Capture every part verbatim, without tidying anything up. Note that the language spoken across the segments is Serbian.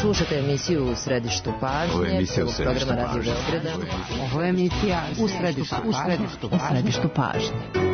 Slušajte emisiju U središtu pažnje prvog programa Radio Beograda. Ovo je emisija U središtu pažnje.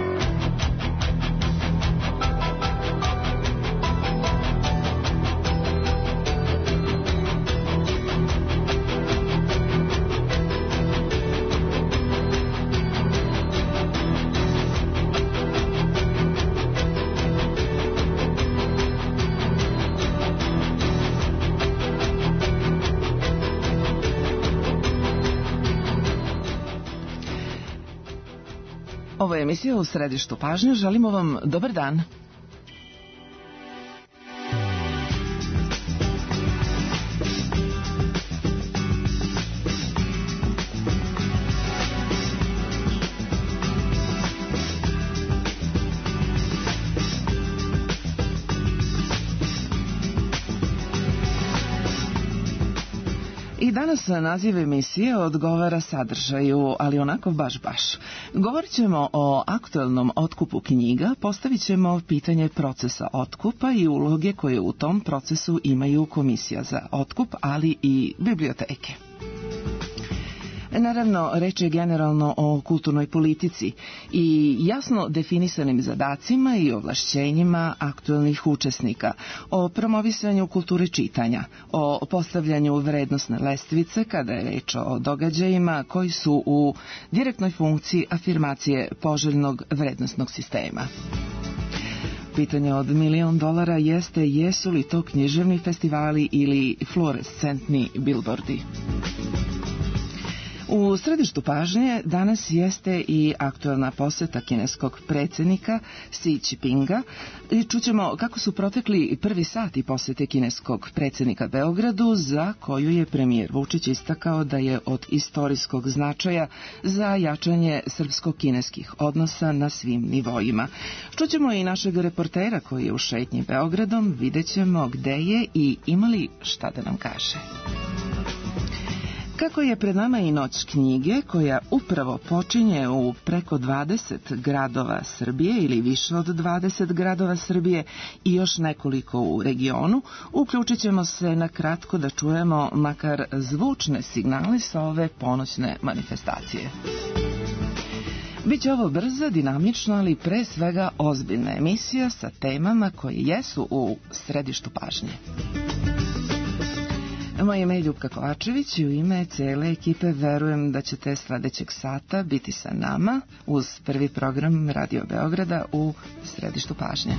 Ovo je emisija U središtu pažnje. Želimo vam dobar dan. I danas naziv emisije odgovara sadržaju, ali onako baš baš. Govorit ćemo o aktuelnom otkupu knjiga, postavit ćemo pitanje procesa otkupa i uloge koje u tom procesu imaju Komisija za otkup, ali i biblioteke. Naravno, reč je generalno o kulturnoj politici i jasno definisanim zadacima i ovlašćenjima aktuelnih učesnika, o promovisanju kulture čitanja, o postavljanju vrednosne lestvice kada je reč o događajima koji su u direktnoj funkciji afirmacije poželjnog vrednosnog sistema. Pitanje od milion dolara jeste jesu li to književni festivali ili fluorescentni bilbordi. U središtu pažnje danas jeste i aktuelna poseta kineskog predsjednika Xi Jinpinga i čućemo kako su protekli prvi sati posete kineskog predsjednika Beogradu, za koju je premijer Vučić istakao da je od istorijskog značaja za jačanje srpsko-kineskih odnosa na svim nivoima. Čućemo i našeg reportera koji je u šetnji Beogradom, vidjet ćemo gde je i ima li šta da nam kaže. Kako je pred nama i noć knjige koja upravo počinje u preko dvadeset gradova Srbije ili više od dvadeset gradova Srbije i još nekoliko u regionu, uključit ćemo se na kratko da čujemo makar zvučne signale sa ove ponoćne manifestacije. Biće ovo brza, dinamična, ali pre svega ozbiljna emisija sa temama koje jesu u središtu pažnje. Moje ime je Ljupka Kovačević i u ime cele ekipe verujem da ćete sledećeg sata biti sa nama uz prvi program Radio Beograda u središtu pažnje.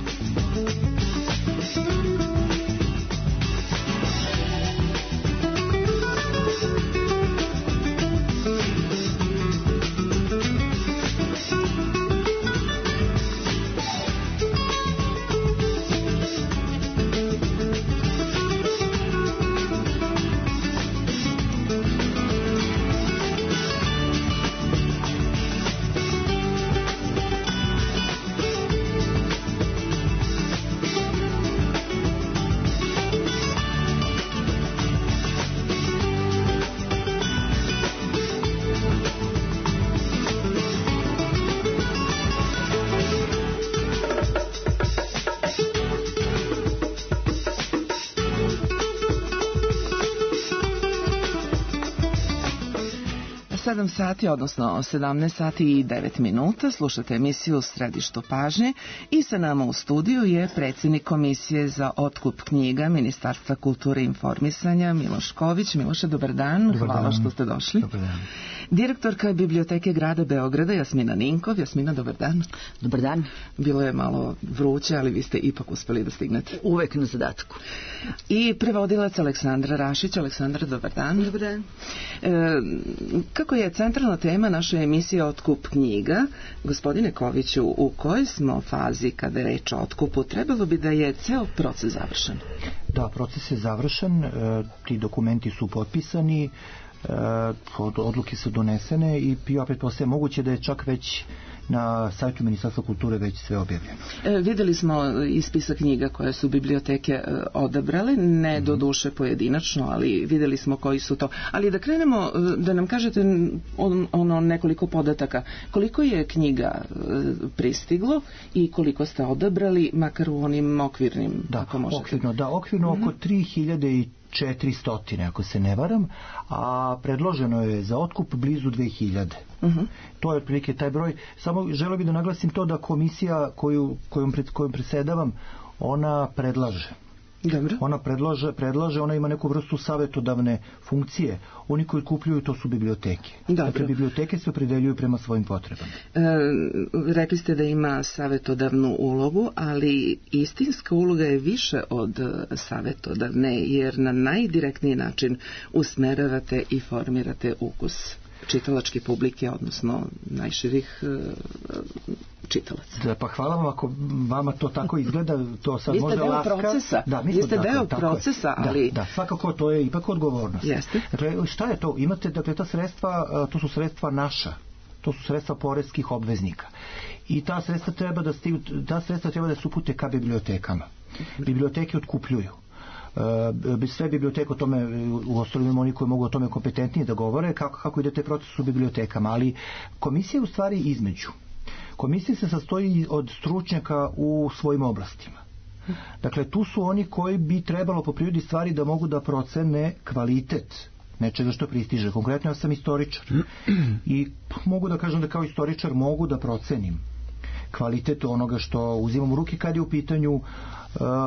sedam sati, odnosno sedamnaest sati i devet minuta, slušate emisiju Središtu pažnje i sa nama u studiju je predsjednik Komisije za otkup knjiga Ministarstva kulture i informisanja Miloš Ković. Miloše, dobar dan, dobar hvala dan. Što ste došli. Dobar dan. Direktorka Biblioteke grada Beograda Jasmina Ninkov. Jasmina, dobar dan. Dobar dan. Bilo je malo vruće, ali vi ste ipak uspeli da stignete. Uvek na zadatku. I prevodilac Aleksandra Rašić. Aleksandra, dobar dan. Dobar dan. E, kako je centralna tema naše emisije Otkup knjiga, gospodine Koviću, u kojoj smo fazi kada je reč o otkupu? Trebalo bi da je ceo proces završen. Da, proces je završen, e, ti dokumenti su potpisani, e, odluke su donesene i ja pretpostavljam moguće da je čak već na sajtu Ministarstva kulture već sve objavljeno. E, videli smo i spisak knjiga koje su biblioteke e, odabrale, ne mm-hmm. do duše pojedinačno, ali videli smo koji su to. Ali da krenemo, da nam kažete on, ono nekoliko podataka. Koliko je knjiga e, pristiglo i koliko ste odabrali, makar u onim okvirnim, da, ako možete? Okvirno, da, okvirno mm-hmm. oko tri hiljade četiristo, ako se ne varam, a predloženo je za otkup blizu dve hiljade. Uh-huh. To je otprilike taj broj. Samo želeo bih da naglasim to da komisija koju, kojom, pred, kojom presedavam, ona predlaže. Dobro. Ona predlaže, predlaže, ona ima neku vrstu savjetodavne funkcije. Oni koji kupljuju, to su biblioteke. Dobro. Dakle, biblioteke se opredeljuju prema svojim potrebama. E, rekli ste da ima savjetodavnu ulogu, ali istinska uloga je više od savjetodavne, jer na najdirektniji način usmeravate i formirate ukus čitalačke publike, odnosno najširih uh, čitalaca. Da, pa hvala vam ako vama to tako izgleda, to sad vi možda laska. Procesa. Da, vi ste deo tako, procesa, tako ali... Da, da, svakako to je ipak odgovornost. Jeste. Dakle, šta je to? Imate, dakle, ta sredstva, to su sredstva naša. To su sredstva poreskih obveznika. I ta sredstva treba da stigu, ta sredstva treba da se upute ka bibliotekama. Biblioteke otkupljuju. Uh, sve biblioteke o tome, u ostalom oni koji mogu o tome kompetentnije da govore kako, kako ide taj proces u bibliotekama, ali komisija je u stvari između. Komisija se sastoji od stručnjaka u svojim oblastima. Dakle, tu su oni koji bi trebalo po prirodi stvari da mogu da procene kvalitet nečega što pristiže. Konkretno ja sam istoričar i mogu da kažem da kao istoričar mogu da procenim kvalitet onoga što uzimam u ruke kad je u pitanju uh,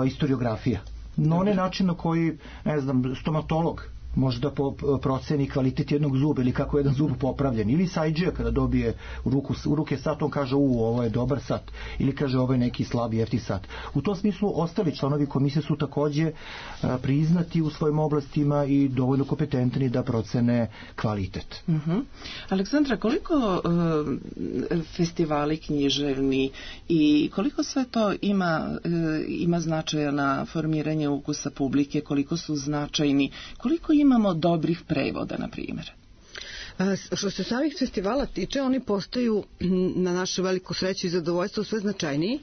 istoriografija. Na onaj način na koji, ne znam, stomatolog može da proceni kvalitet jednog zuba ili kako je jedan zub popravljen. Ili sajđija kada dobije u, ruku, u ruke sat, on kaže u, ovo je dobar sat. Ili kaže ovo je neki slab jefti sat. U tom smislu ostali članovi komisije su takođe a, priznati u svojim oblastima i dovoljno kompetentni da procene kvalitet. Uh-huh. Aleksandra, koliko uh, festivali književni i koliko sve to ima, uh, ima značaja na formiranje ukusa publike, koliko su značajni, koliko imamo dobrih prevoda, na primjer? Što se samih festivala tiče, oni postaju na našu veliku sreću i zadovoljstvo sve značajniji.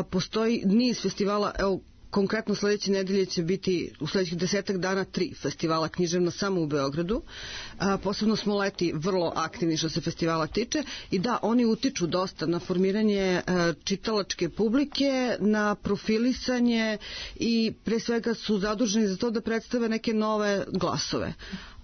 Postoji niz festivala, evo, konkretno sledeće nedelje će biti u sledećih desetak dana tri festivala književna samo u Beogradu. A, posebno smo leti vrlo aktivni što se festivala tiče i da, oni utiču dosta na formiranje a, čitalačke publike, na profilisanje i pre svega su zaduženi za to da predstave neke nove glasove.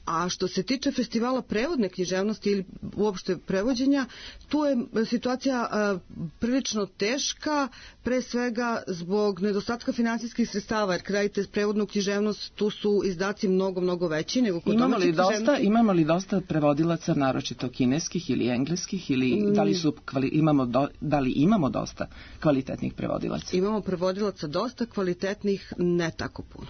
A što se tiče festivala prevodne književnosti ili uopšte prevođenja, tu je situacija a, prilično teška, pre svega zbog nedostatka finansijskih sredstava, jer kada radite prevodnu književnost, tu su izdaci mnogo, mnogo veći nego kod imamo li dosta, imamo li dosta prevodilaca, naročito kineskih ili engleskih, ili mm. da li su kvali, imamo do, da li imamo dosta kvalitetnih prevodilaca? Imamo prevodilaca dosta kvalitetnih, ne tako puno.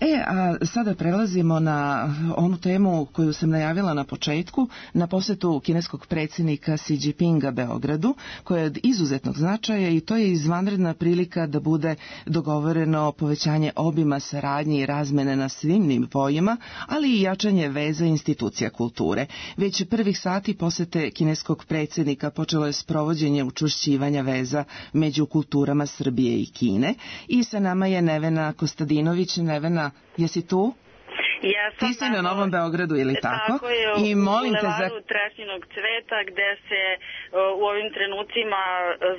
E, a sada prelazimo na onu temu koju sam najavila na početku, na posetu kineskog predsjednika Xi Jinpinga Beogradu, koja je od izuzetnog značaja i to je izvanredna prilika da bude dogovoreno povećanje obima saradnje i razmene na svim nivoima, ali i jačanje veza institucija kulture. Već prvih sati posete kineskog predsjednika počelo je sprovođenje učvršćivanja veza među kulturama Srbije i Kine i sa nama je Nevena Kostadinović. Nevena, jesi tu? Ja sam ti si na Novom Beogradu ili tako? Tako je, I u molim te za... Trešnjinog cveta gde se u ovim trenucima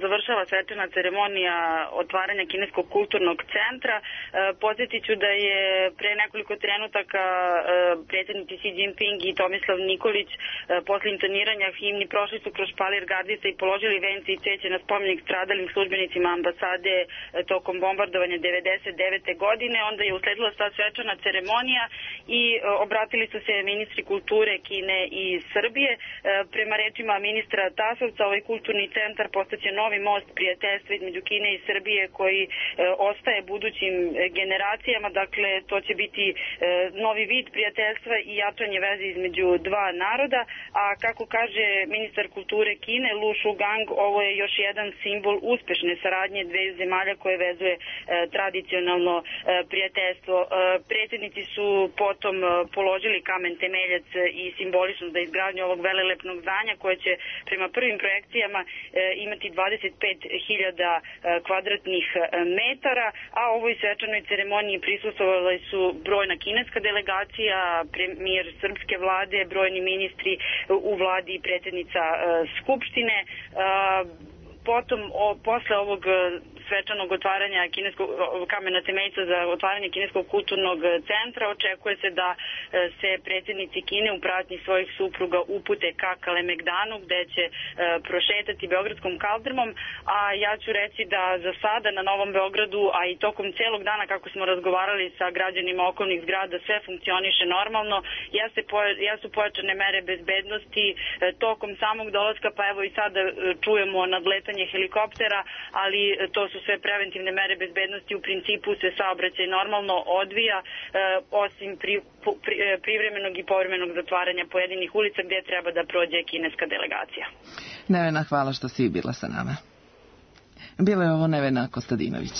završava svečana ceremonija otvaranja Kineskog kulturnog centra. Podsjetit ću da je pre nekoliko trenutaka predsjednici Xi Jinping i Tomislav Nikolić posle intoniranja himni prošli su kroz špalir Gardisa i položili vence i cveće na spomenik stradalim službenicima ambasade tokom bombardovanja devedeset devete godine. Onda je usledila ta svečana ceremonija i obratili su se ministri kulture Kine i Srbije. Prema rečima ministra Tasovca, ovaj kulturni centar postaće novi most prijateljstva između Kine i Srbije koji ostaje budućim generacijama. Dakle, to će biti novi vid prijateljstva i jačanje veze između dva naroda. A kako kaže ministar kulture Kine Lu Shugang, ovo je još jedan simbol uspešne saradnje dve zemalja koje vezuje tradicionalno prijateljstvo. Predsjednici su potom položili kamen temeljac i simbolično za izgradnju ovog velelepnog zdanja koje će prema prvim projekcijama imati dvadeset pet hiljada kvadratnih metara, a ovoj svečanoj ceremoniji prisustvovali su brojna kineska delegacija, premijer srpske vlade, brojni ministri u vladi i predsjednica Skupštine. potom, o, posle ovog svečanog otvaranja kineskog kamena temeljca za otvaranje kineskog kulturnog centra, očekuje se da se predsjednici Kine u pratnji svojih supruga upute ka Kalemegdanu, gde će prošetati Beogradskom kaldrmom, a ja ću reći da za sada na Novom Beogradu, a i tokom celog dana kako smo razgovarali sa građanima okolnih zgrada, sve funkcioniše normalno. Ja se ja su pojačane mere bezbednosti tokom samog dolaska, pa evo i sada čujemo nadletanje helikoptera, ali to su sve preventivne mere bezbednosti. U principu se saobraćaj normalno odvija, osim pri, pri, privremenog i povremenog zatvaranja pojedinih ulica gdje treba da prođe kineska delegacija. Nevena, hvala što si bila sa nama. Bila je ovo Nevena Kostadinović.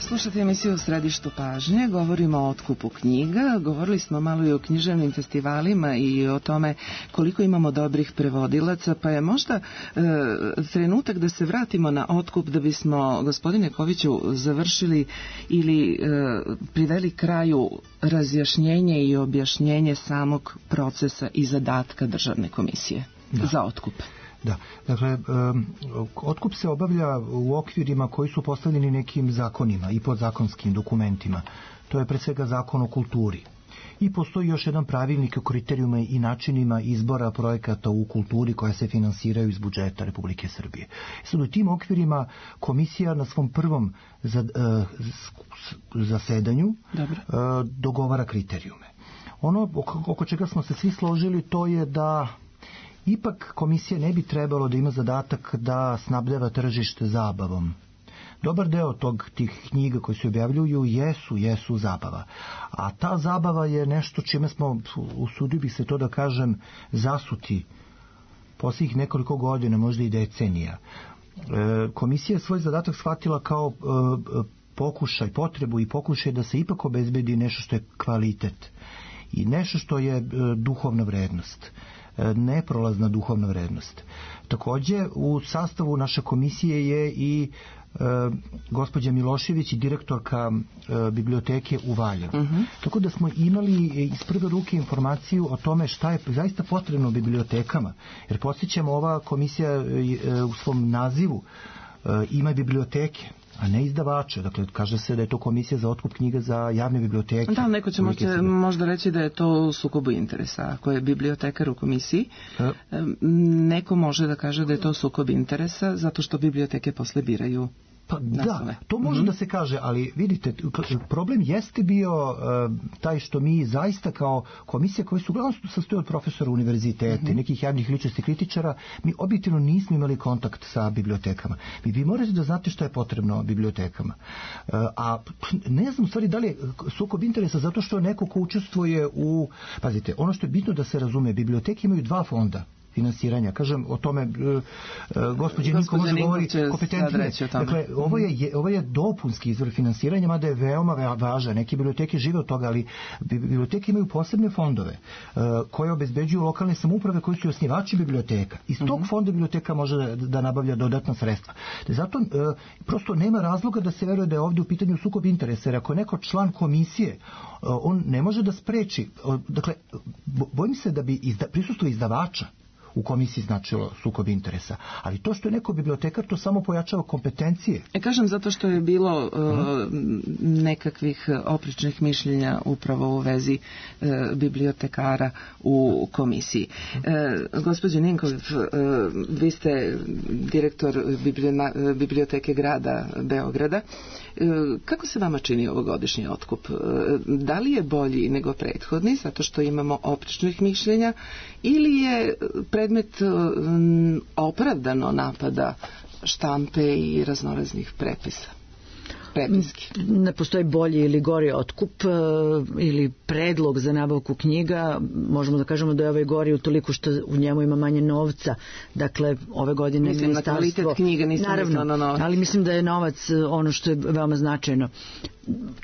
Slušate emisiju u središtu pažnje, govorimo o otkupu knjiga, govorili smo malo i o književnim festivalima i o tome koliko imamo dobrih prevodilaca, pa je možda e, trenutak da se vratimo na otkup da bismo, gospodine Koviću, završili ili e, priveli kraju razjašnjenje i objašnjenje samog procesa i zadatka Državne komisije da. za otkup. Da, dakle, um, otkup se obavlja u okvirima koji su postavljeni nekim zakonima i podzakonskim dokumentima. To je pre svega zakon o kulturi. I postoji još jedan pravilnik o kriterijuma i načinima izbora projekata u kulturi koja se finansiraju iz budžeta Republike Srbije. Sad u tim okvirima komisija na svom prvom zasedanju uh, dogovara kriterijume. Ono oko, oko čega smo se svi složili to je da ipak komisija ne bi trebalo da ima zadatak da snabdeva tržište zabavom. Dobar deo tog tih knjiga koji se objavljuju jesu, jesu zabava. A ta zabava je nešto čime smo, usudio bih se to da kažem, zasuti posljednjih nekoliko godina, možda i decenija. E, komisija je svoj zadatak shvatila kao e, pokušaj, potrebu i pokušaj da se ipak obezbedi nešto što je kvalitet i nešto što je e, duhovna vrednost. Neprolazna duhovna vrednost. Takođe, u sastavu naše komisije je i e, gospođa Milošević i direktorka e, biblioteke u Valjevu. Uh-huh. Tako da smo imali iz prve ruke informaciju o tome šta je zaista potrebno u bibliotekama. Jer podsjećamo, ova komisija e, u svom nazivu e, ima biblioteke, a ne izdavače. Dakle, kaže se da je to komisija za otkup knjiga za javne biblioteke. Da, neko će možda, možda reći da je to sukobu interesa. Ako je bibliotekar u komisiji, e? neko može da kaže da je to sukob interesa zato što biblioteke posle biraju. Pa da, to može mm-hmm. da se kaže, ali vidite, problem jeste bio uh, taj što mi zaista kao komisija koji su uglavnom sastoji od profesora univerziteta mm-hmm. i nekih javnih ličnosti kritičara, mi objektivno nismo imali kontakt sa bibliotekama. Vi, vi morate da znate što je potrebno bibliotekama. Uh, a ne znam u stvari da li je sukob interesa zato što neko ko učestvuje u... Pazite, ono što je bitno da se razume, biblioteke imaju dva fonda finansiranja. Kažem o tome, uh, gospođe Niko može govori kompetentnije. Dakle, ovo je, ovo je dopunski izvor finansiranja, mada je veoma važan. Neke biblioteke žive od toga, ali biblioteke imaju posebne fondove uh, koje obezbeđuju lokalne samouprave koji su osnivači biblioteka. Iz tog uh-huh. fonda biblioteka može da, da nabavlja dodatna sredstva. Zato uh, prosto nema razloga da se veruje da je ovdje u pitanju sukob interesa, jer ako je neko član komisije, uh, on ne može da spreči. Uh, dakle, bojim se da bi izda, prisustvo izdavača u komisiji značilo sukob interesa. Ali to što je neko bibliotekar, to samo pojačava kompetencije. E kažem zato što je bilo uh, uh-huh. nekakvih oprečnih mišljenja upravo u vezi uh, bibliotekara u komisiji. Uh, gospođo Ninkov, uh, vi ste direktor biblioteke grada Beograda. Uh, kako se vama čini ovogodišnji otkup? Uh, da li je bolji nego prethodni, zato što imamo oprečnih mišljenja, ili je predmet um, opravdano napada štampe i raznoraznih prepisa? Prepiski. Ne postoji bolji ili gori otkup ili predlog za nabavku knjiga. Možemo da kažemo da je ovaj gori utoliko što u njemu ima manje novca. Dakle, ove godine mislim na kvalitet knjiga, nisam naravno, na novac. Ali mislim da je novac ono što je veoma značajno.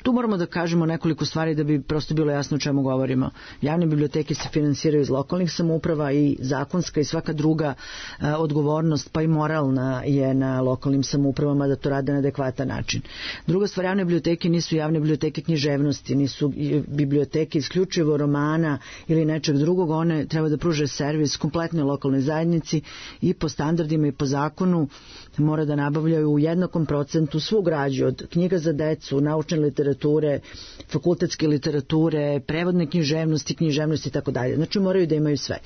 tu moramo da kažemo nekoliko stvari da bi prosto bilo jasno o čemu govorimo. Javne biblioteke se finansiraju iz lokalnih samouprava i zakonska i svaka druga e, odgovornost, pa i moralna je na lokalnim samoupravama da to rade na adekvatan način. Druga stvar, javne biblioteke nisu javne biblioteke književnosti, nisu biblioteke isključivo romana ili nečeg drugog, one treba da pruže servis kompletnoj lokalnoj zajednici i po standardima i po zakonu mora da nabavljaju u jednakom procentu svu građu, od knjiga za decu, naučne literature, fakultetske literature, prevodne književnosti, književnosti i tako dalje. Znači moraju da imaju sve.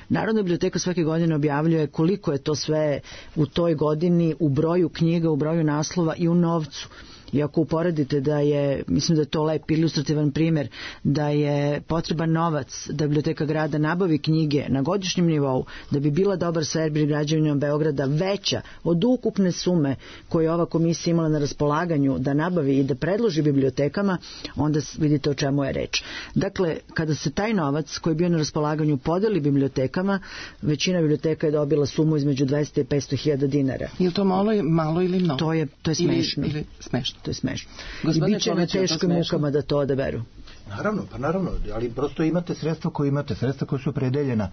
Narodna biblioteka svake godine objavljuje koliko je to sve u toj godini u broju knjiga, u broju naslova i u novcu. I ako uporedite da je, mislim da je to lep ilustrativan primjer, da je potreban novac da biblioteka grada nabavi knjige na godišnjem nivou, da bi bila dobar servis građanima Beograda veća od ukupne sume koju ova komisija imala na raspolaganju da nabavi i da predloži bibliotekama, onda vidite o čemu je reč. Dakle, kada se taj novac koji je bio na raspolaganju podeli bibliotekama, većina biblioteka je dobila sumu između dvesta i petsto hiljada dinara. Je li to malo, malo ili mnogo? To je, to je smešno. Ili, ili smešno. To je smešno. Gospodine, i bit će na teškim mukama da to odaberu. Naravno, pa naravno, ali prosto imate sredstva koje imate, sredstva koje su opredeljena.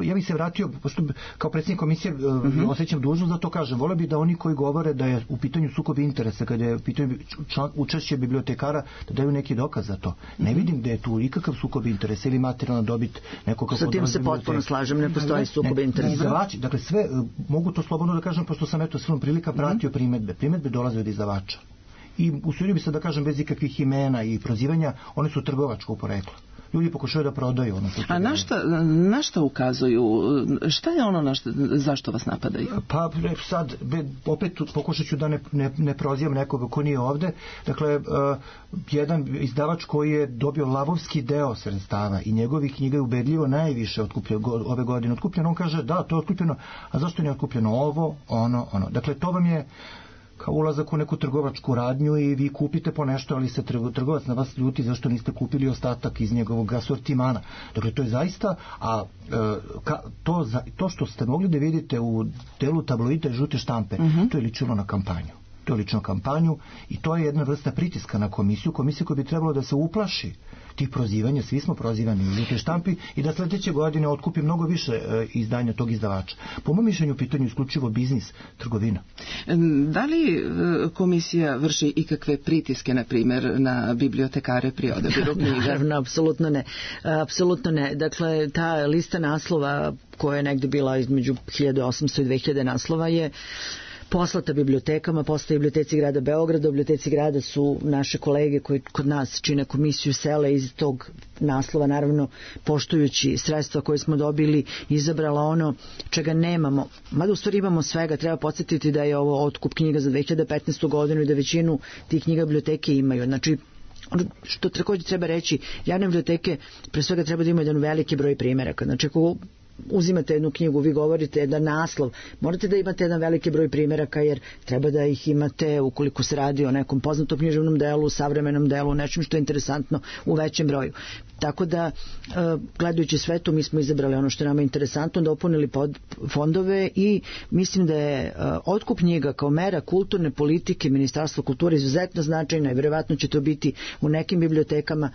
Ja bih se vratio, pošto kao predsjednik komisije mm-hmm. osjećam dužnost da to kažem. Vole bi da oni koji govore da je u pitanju sukob interesa, kada je u pitanju učešće bibliotekara, da daju neki dokaz za to. Ne mm-hmm. vidim da je tu ikakav sukob interesa ili materijalna dobit nekog kako sa tim se potpuno slažem, ne postoji sukob interesa. Izdavači, dakle sve, mogu to slobodno da kažem, pošto sam eto svom prilika pratio mm-hmm. primetbe. Primetbe dolaze od izdavača. I usudio bi se da kažem bez ikakvih imena i prozivanja, one su trgovačko poreklo. Ljudi pokušaju da prodaju ono što... A na šta, na šta ukazuju? Šta je ono na šta, zašto vas napadaju? Pa sad, opet pokušat ću da ne, ne, ne prozivam nekoga ko nije ovde. Dakle, uh, jedan izdavač koji je dobio lavovski deo sredstava i njegovih knjiga je ubedljivo najviše otkupljeno, ove godine otkupljeno. On kaže, da, to je otkupljeno, a zašto nije otkupljeno ovo, ono, ono. Dakle, to vam je kao ulazak u neku trgovačku radnju i vi kupite po nešto, ali se trgovac na vas ljuti zašto niste kupili ostatak iz njegovog asortimana. Dakle, to je zaista, a ka, to, to što ste mogli da vidite u delu tabloida i žute štampe, uh-huh. to je ličilo na kampanju. To je lično kampanju i to je jedna vrsta pritiska na komisiju, komisiju koja bi trebalo da se uplaši tih prozivanja, svi smo prozivani u žutoj štampi i da sledeće godine otkupi mnogo više e, izdanja tog izdavača. Po mom mišljenju u pitanju isključivo biznis, trgovina. Da li e, komisija vrši ikakve pritiske, na primjer, na bibliotekare pri odabiru knjiga? Naravno, apsolutno ne. Apsolutno ne. Dakle, ta lista naslova koja je negde bila između hiljadu osamsto i dve hiljade naslova je poslata bibliotekama, poslata biblioteci grada Beograda. U biblioteci grada su naše kolege koji kod nas čine komisiju sele iz tog naslova, naravno poštujući sredstva koje smo dobili, izabrala ono čega nemamo. Mada u stvari imamo svega, treba podsjetiti da je ovo otkup knjiga za dve hiljade petnaestu godinu i da većinu tih knjiga biblioteke imaju. Znači, što također treba reći, javne biblioteke pre svega treba da imaju jedan veliki broj primjeraka. Znači, ako uzimate jednu knjigu, vi govorite jedan naslov, morate da imate jedan veliki broj primjeraka jer treba da ih imate ukoliko se radi o nekom poznatom književnom delu, savremenom delu, nečem što je interesantno u većem broju. Tako da, gledajući sve to, mi smo izabrali ono što je nama interesantno, dopunili pod fondove i mislim da je otkup knjiga kao mera kulturne politike Ministarstva kulture izuzetno značajna i vjerovatno će to biti u nekim bibliotekama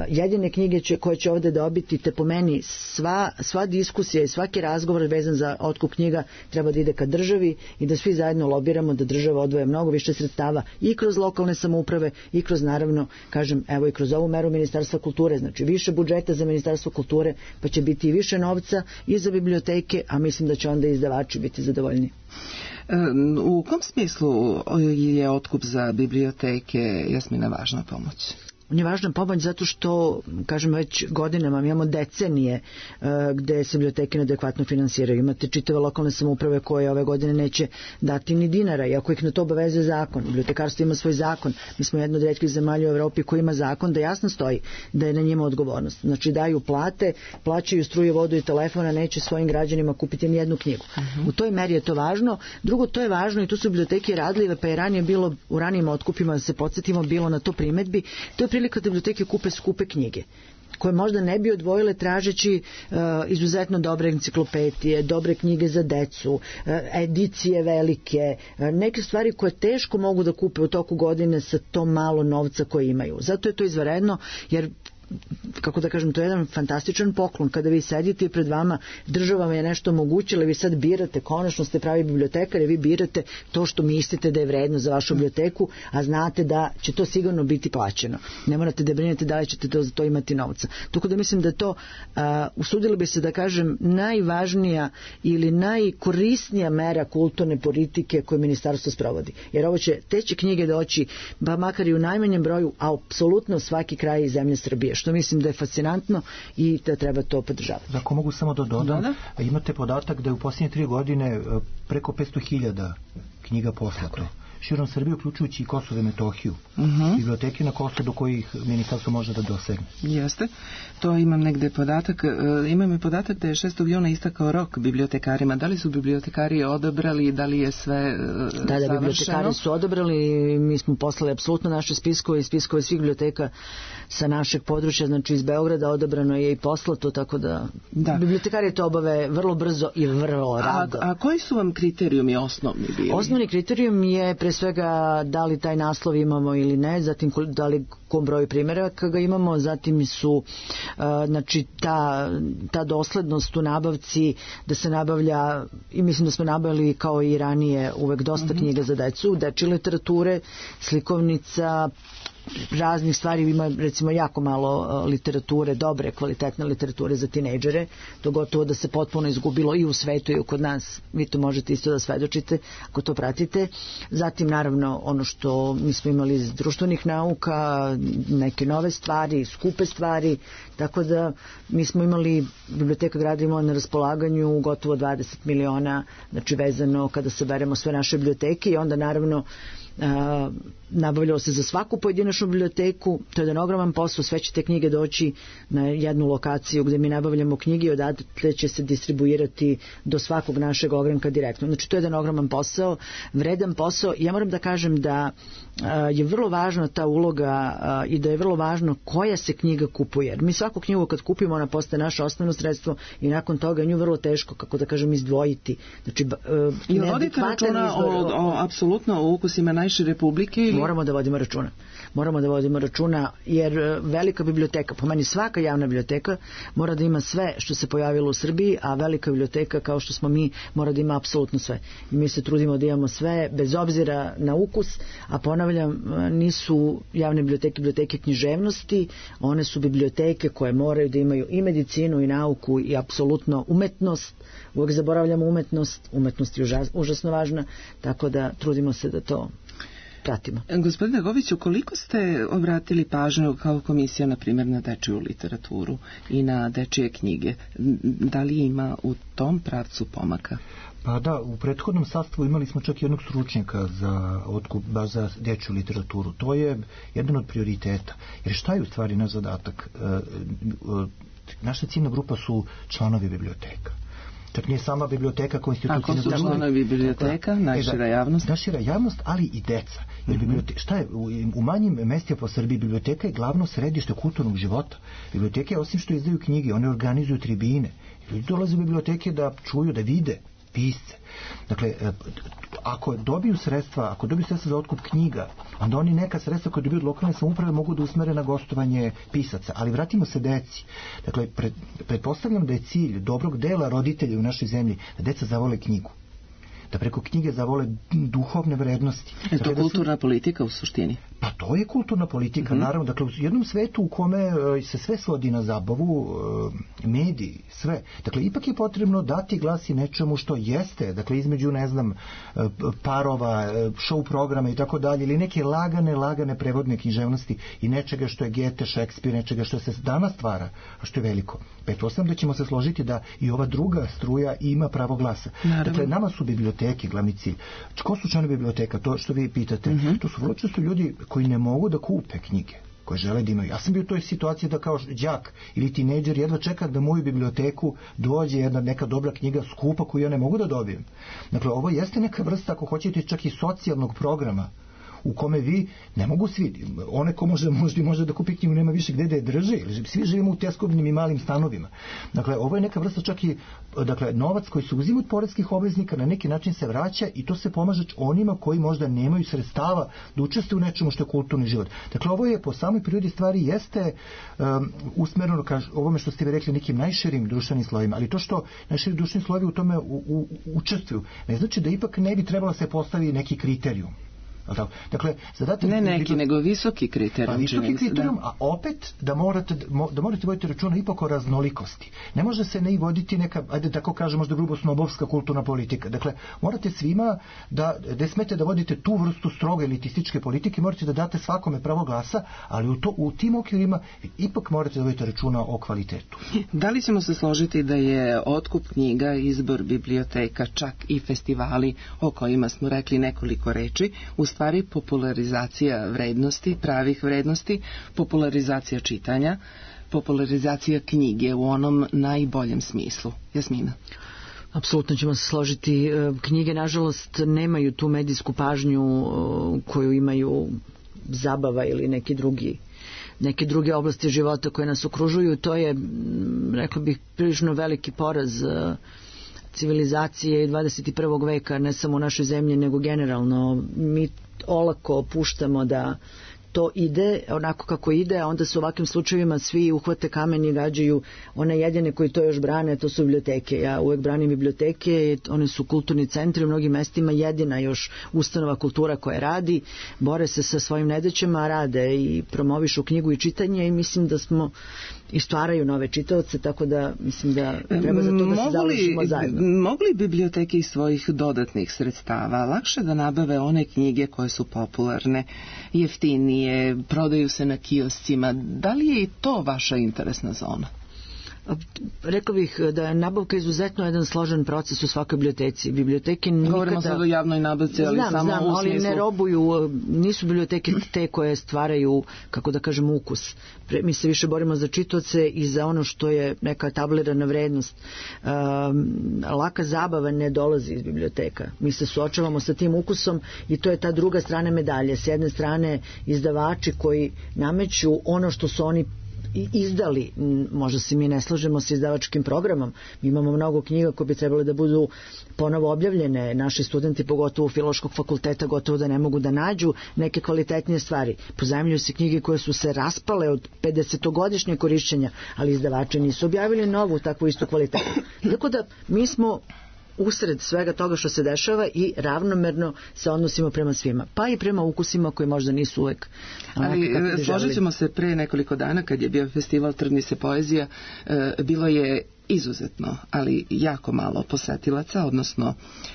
jedine knjige će, koje će ovde dobiti, te po meni sva, sva diskusija i svaki razgovor vezan za otkup knjiga treba da ide ka državi i da svi zajedno lobiramo da država odvoje mnogo više sredstava i kroz lokalne samouprave i kroz, naravno, kažem, evo i kroz ovu meru Ministarstva kulture, znači više budžeta za Ministarstvo kulture, pa će biti i više novca i za biblioteke, a mislim da će onda i izdavači biti zadovoljni. U kom smislu je otkup za biblioteke, Jasmina, važna pomoć? On je važna pomoć zato što, kažem, već godinama imamo decenije uh, gde se biblioteke neadekvatno finansiraju. Imate čitave lokalne samouprave koje ove godine neće dati ni dinara, iako ih na to obavezuje zakon. Bibliotekarstvo ima svoj zakon. Mi smo jedna od retkih zemalja u Evropi koji ima zakon da jasno stoji da je na njima odgovornost. Znači daju plate, plaćaju struju, vodu i telefona, neće svojim građanima kupiti ni jednu knjigu. Uh-huh. U toj meri je to važno. Drugo, to je važno i tu su biblioteke radljive, pa je ranije bilo, u ranijim otkupima, da se podsjetimo, bilo na to primetbi. To je prilika da biblioteke kupe skupe knjige. koje možda ne bi odvojile tražeći uh, izuzetno dobre enciklopedije, dobre knjige za decu, uh, edicije velike, uh, neke stvari koje teško mogu da kupe u toku godine sa to malo novca koje imaju. Zato je to izvanredno, jer kako da kažem, to je jedan fantastičan poklon kada vi sedite i pred vama država vam je nešto omogućila, vi sad birate, konačno ste pravi bibliotekar i vi birate to što mislite da je vredno za vašu biblioteku, a znate da će to sigurno biti plaćeno. Ne morate da brinete da li ćete to, za to imati novca. Tako da mislim da to, uh, usudili bi se da kažem, najvažnija ili najkorisnija mera kulturne politike koju ministarstvo sprovodi. Jer ovo će, te će knjige doći, ba makar i u najmanjem broju, a apsolutno svaki kraj iz zemlje Srbije, što mislim da je fascinantno i da treba to podržavati. Ako mogu samo da dodam, da, da. Imate podatak da je u posljednje tri godine preko petsto hiljada knjiga poslato. Širom Srbije, uključujući i Kosovo i Metohiju. Uh-huh. Biblioteke na Kosovo do kojih ministarstvo može da dosegne. Jeste. To imam negde podatak. E, imam i podatak da je šestog juna istakao rok bibliotekarima. Da li su bibliotekari odabrali, da li je sve e, da, završeno? Da, bibliotekari su odabrali. Mi smo poslali apsolutno naše spiskove i spiskove svih biblioteka sa našeg područja, znači iz Beograda odabrano je i poslato, tako da, da. Bibliotekari to obave vrlo brzo i vrlo rado. A, a koji su vam kriterijumi osnovni bili? Osnovni kriterijum je pre svega da li taj naslov imamo ili ne, zatim da li kom broju primjeraka ga imamo, zatim su uh, znači ta, ta doslednost u nabavci, da se nabavlja, i mislim da smo nabavili kao i ranije uvek dosta mm-hmm. knjiga za decu, dečje literature, slikovnica, raznih stvari, ima recimo jako malo literature, dobre, kvalitetne literature za tinejdžere, to gotovo da se potpuno izgubilo i u svetu i kod nas, vi to možete isto da svedočite ako to pratite. Zatim naravno ono što mi smo imali iz društvenih nauka, neke nove stvari, skupe stvari, tako da mi smo imali, Biblioteka grada imala na raspolaganju gotovo dvadeset miliona, znači vezano kada saberemo sve naše biblioteke, i onda naravno Uh, nabavljalo se za svaku pojedinačnu biblioteku, to je jedan ogroman posao, sve će te knjige doći na jednu lokaciju gdje mi nabavljamo knjige i odatle će se distribuirati do svakog našeg ogranka direktno. Znači to je jedan ogroman posao, vredan posao. Ja moram da kažem da uh, je vrlo važna ta uloga uh, i da je vrlo važno koja se knjiga kupuje. Jer mi svaku knjigu kad kupimo, ona postaje naše osnovno sredstvo i nakon toga nju vrlo teško, kako da kažem, izdvojiti. Znači, uh, I vodite računa o, o, o, apsolutno o ukusima najše republike? Ili? Moramo da vodimo računa. Moramo da vodimo računa, jer velika biblioteka, po meni svaka javna biblioteka mora da ima sve što se pojavilo u Srbiji, a velika biblioteka kao što smo mi mora da ima apsolutno sve. I mi se trudimo da imamo sve bez obzira na ukus, a ponavljam, nisu javne biblioteke biblioteke književnosti, one su biblioteke koje moraju da imaju i medicinu i nauku i apsolutno umetnost. Uvijek zaboravljamo umetnost, umetnost je užas, užasno važna, tako da trudimo se da to pratimo. Gospodine Goviću, koliko ste obratili pažnju kao komisija, na primjer, na dečiju literaturu i na dečije knjige? Da li ima u tom pravcu pomaka? Pa da, u prethodnom sastavu imali smo čak jednog stručnjaka za otkup, baš za dečju literaturu. To je jedan od prioriteta. Jer šta je u stvari naš zadatak? E, e, naša ciljna grupa su članovi biblioteka. Čak nije sama biblioteka kao institucija. Ako su članovi biblioteka, najšira javnost? Najšira javnost, ali i deca. Jer biblioteka, šta je, u, u manjim mestima po Srbiji biblioteka je glavno središte kulturnog života. Biblioteke, osim što izdaju knjige, one organizuju tribine. Ljudi dolaze u biblioteke da čuju, da vide pisce. Dakle, ako dobiju sredstva, ako dobiju sredstva za otkup knjiga, onda oni neka sredstva koje dobiju od lokalne samouprave mogu da usmere na gostovanje pisaca. Ali vratimo se deci. Dakle, pred, pretpostavljam da je cilj dobrog dela roditelja u našoj zemlji da deca zavole knjigu. Da preko knjige zavole duhovne vrednosti. Je to dakle, kulturna da su... politika u suštini? Pa to je kulturna politika, mm-hmm. naravno. Dakle, u jednom svetu u kome uh, se sve svodi na zabavu, uh, mediji, sve. Dakle, ipak je potrebno dati glas i nečemu što jeste, dakle, između, ne znam, uh, parova, uh, show programa i tako dalje, ili neke lagane, lagane prevodne književnosti i nečega što je Goethe, Šekspir, nečega što se danas stvara, a što je veliko. Pretpostavljam da ćemo se složiti da i ova druga struja ima pravo glasa. Naravno. Dakle, nama su biblioteke glavni cilj. Ko su članovi biblioteka? To što vi pitate. Mm-hmm. To su vrlo često ljudi koji ne mogu da kupe knjige, koje žele da imaju. Ja sam bio u toj situaciji da kao đak ili tinejdžer jedva čekam da u moju biblioteku dođe jedna neka dobra knjiga skupa koju ja ne mogu da dobijem. Dakle, ovo jeste neka vrsta, ako hoćete, čak i socijalnog programa u kome vi ne mogu svi, one ko može, možda, može da kupi knjigu nema više gde da je drže, svi živimo u tjeskobnim i malim stanovima. Dakle, ovo je neka vrsta čak i, dakle, novac koji se uzima od poreskih obveznika na neki način se vraća i to se pomaže onima koji možda nemaju sredstava da učestvuju u nečemu što je kulturni život. Dakle, ovo je po samoj prirodi stvari jeste um, usmereno ka ovome što ste vi rekli nekim najširim društvenim slojima, ali to što najširi društveni slojevi u tome u, u, učestvuju, ne znači da ipak ne bi trebalo se postavi neki kriterijum. Dakle, zadatak ne neki, bi... nego visoki kriterijum. Pa visoki kriterijum, a opet da morate, da morate voditi računa ipak o raznolikosti. Ne može se ne i voditi neka, ajde tako kažem, možda grubo snobovska kulturna politika. Dakle, morate svima da, ne smete da vodite tu vrstu stroge elitističke politike, morate da date svakome pravo glasa, ali u, to, u tim okvirima ipak morate da vodite računa o kvalitetu. Da li ćemo se složiti da je otkup knjiga, izbor biblioteka, čak i festivali o kojima smo rekli nekoliko reči, u stvari popularizacija vrednosti, pravih vrednosti, popularizacija čitanja, popularizacija knjige u onom najboljem smislu? Jasmina? Apsolutno ćemo se složiti. Knjige, nažalost, nemaju tu medijsku pažnju koju imaju zabava ili neki drugi neke druge oblasti života koje nas okružuju. To je, rekla bih, prilično veliki poraz civilizacije dvadeset prvog veka, ne samo u našoj zemlji, nego generalno. Mi olako puštamo da to ide onako kako ide, a onda se u ovakvim slučajevima svi uhvate kamen i gađaju one jedine koji to još brane, to su biblioteke. Ja uvek branim biblioteke, one su kulturni centri u mnogim mestima, jedina još ustanova kultura koja radi, bore se sa svojim nedaćama, rade i promovišu knjigu i čitanje i mislim da smo i stvaraju nove čitaoce, tako da mislim da treba za to da se založimo zajedno. Mogu li biblioteke iz svojih dodatnih sredstava lakše da nabave one knjige koje su popularne, jeftinije, prodaju se na kioscima? Da li je i to vaša interesna zona? Rekla bih da je nabavka izuzetno jedan složen proces u svakoj biblioteci. Biblioteke nikada... Govorimo sad o javnoj nabavci, ali znam, samo znam, u ali smislu... ne robuju, nisu biblioteke te koje stvaraju, kako da kažem, ukus. Mi se više borimo za čitaoce i za ono što je neka tablirana vrednost. Um, laka zabava ne dolazi iz biblioteka. Mi se suočavamo sa tim ukusom i to je ta druga strana medalje. S jedne strane izdavači koji nameću ono što su oni izdali, možda se mi ne slažemo sa izdavačkim programom, mi imamo mnogo knjiga koje bi trebale da budu ponovo objavljene, naši studenti pogotovo Filološkog fakulteta gotovo da ne mogu da nađu neke kvalitetnije stvari, pozajmljuju se knjige koje su se raspale od pedesetogodišnje korišćenja, ali izdavači nisu objavili novu takvu istu kvalitetu. Tako da mi smo usred svega toga što se dešava i ravnomerno se odnosimo prema svima, pa i prema ukusima koji možda nisu uvek. Ali složit ćemo se, pre nekoliko dana kad je bio festival Trgni se poezija, bilo je izuzetno, ali jako malo posetilaca, odnosno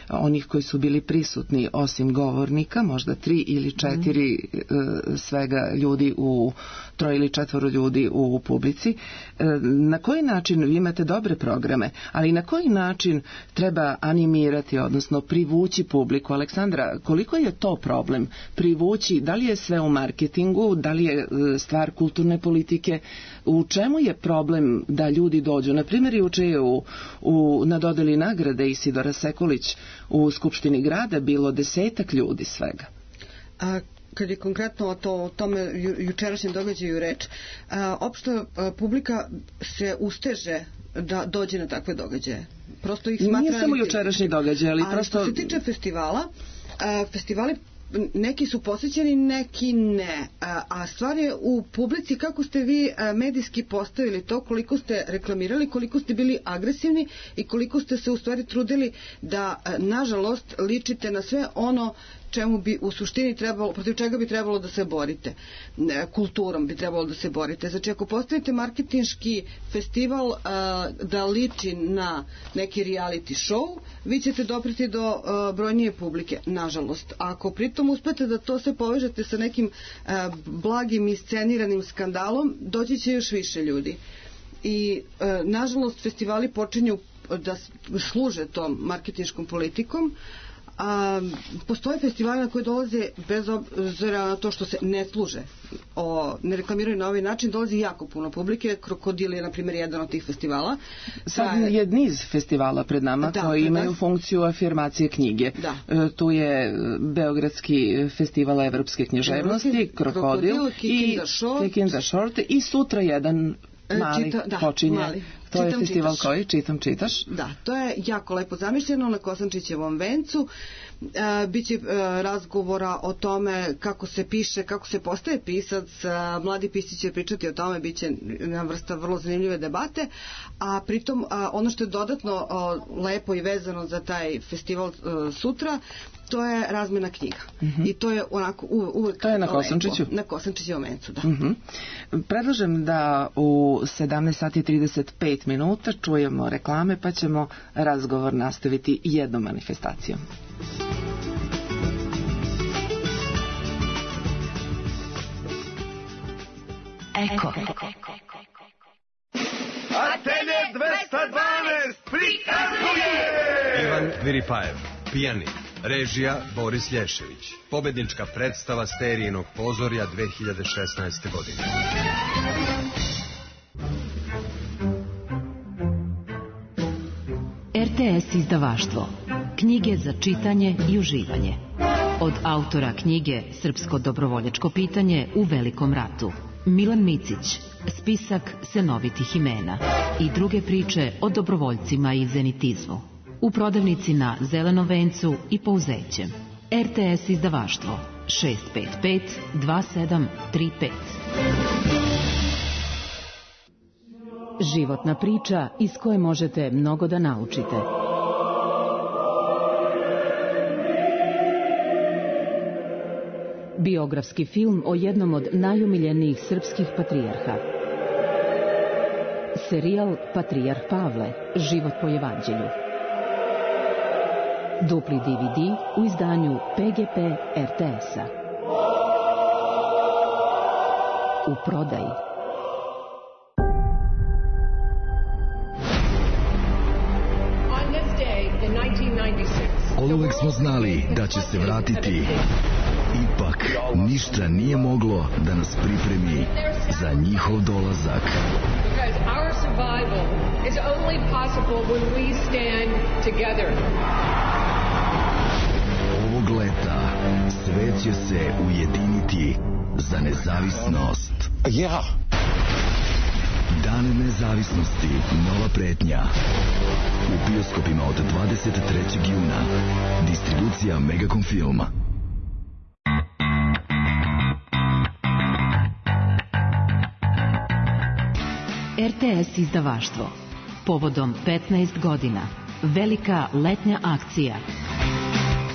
onih koji su bili prisutni, osim govornika, možda tri ili četiri mm. svega ljudi u troje ili četvoro ljudi u publici. Na koji način, vi imate dobre programe, ali na koji način treba animirati, odnosno privući publiku? Aleksandra, koliko je to problem? Privući, da li je sve u marketingu, da li je stvar kulturne politike, u čemu je problem da ljudi dođu? Na primjer, juče je u, u, na dodeli nagrade Isidora Sekulić u Skupštini grada bilo desetak ljudi svega. A kad je konkretno o, to, o tome ju, jučerašnjem događaju reč, a, opšta a, publika se usteže da dođe na takve događaje. Prosto ih smatra... Nije samo jučerašnji događaj, ali, ali prosto... što se tiče festivala, a, festivali neki su posjećeni, neki ne. A, a stvar je u publici kako ste vi medijski postavili to, koliko ste reklamirali, koliko ste bili agresivni i koliko ste se u stvari trudili da, nažalost, ličite na sve ono čemu bi u suštini trebalo, protiv čega bi trebalo da se borite. Kulturom bi trebalo da se borite. Znači, ako postavite marketinški festival a, da liči na neki reality show, vi ćete dopreti do a, brojnije publike, nažalost. Ako pritom uspete da to sve povežete sa nekim a, blagim isceniranim skandalom, doći će još više ljudi. I, a, nažalost, festivali počinju da služe tom marketinškom politikom, A, postoje festivali na koje dolaze bez obzira na to što se ne služe o, ne reklamiraju na ovaj način, dolazi jako puno publike. Krokodil je na primjer jedan od tih festivala. Sad je, je niz festivala pred nama da, koji imaju da. funkciju afirmacije knjige. Da. E, tu je Beogradski festival evropske književnosti, Evropski, Krokodil, Krokodil i Kick in the Short i sutra jedan mali Čita, da, počinje. Mali. To čitam, je festival čitaš. Koji? Čitam, čitaš? Da, to je jako lepo zamišljeno na Kosančićevom vencu. E, biće e, razgovora o tome kako se piše, kako se postaje pisac. E, mladi pisci će pričati o tome, biće jedna vrsta vrlo zanimljive debate, a pritom a, ono što je dodatno a, lepo i vezano za taj festival a, sutra, to je razmena knjiga. Mm-hmm. I to je onako u, uvek to je na Kosančiću? Na Kosančićevom vencu, da. Mm-hmm. Predlažem da u sedamnaest sati i trideset pet minuta čujemo reklame, pa ćemo razgovor nastaviti jednom manifestacijom. Eko. Atelje dvesta dvanaest prikazuje Ivan Viripajev, pijanin. Režija Boris Lješević. Pobednička predstava Sterijinog pozorja dve hiljade šesnaeste. godine. R T S izdavaštvo. Knjige za čitanje i uživanje. Od autora knjige Srpsko dobrovoljačko pitanje u Velikom ratu. Milan Micić, spisak senovitih imena i druge priče o dobrovoljcima i zenitizmu. U prodavnici na Zelenom vencu i Pouzećem. R T S izdavaštvo šest pet pet dva sedam tri pet. Životna priča iz koje možete mnogo da naučite. Biografski film o jednom od najumiljenijih srpskih patrijarha. Serijal Patrijarh Pavle, život po evanđelju. Dupli D V D u izdanju P G P R T S-a. U prodaji. Oduvek smo znali da će se vratiti. Ipak, ništa nije moglo da nas pripremi za njihov dolazak. Ovog leta svet će se ujediniti za nezavisnost. Ja! Dan nezavisnosti, nova pretnja. U bioskopima od dvadeset trećeg juna. Distribucija Megacom Filma. R T S izdavaštvo. Povodom petnaest godina. Velika letnja akcija.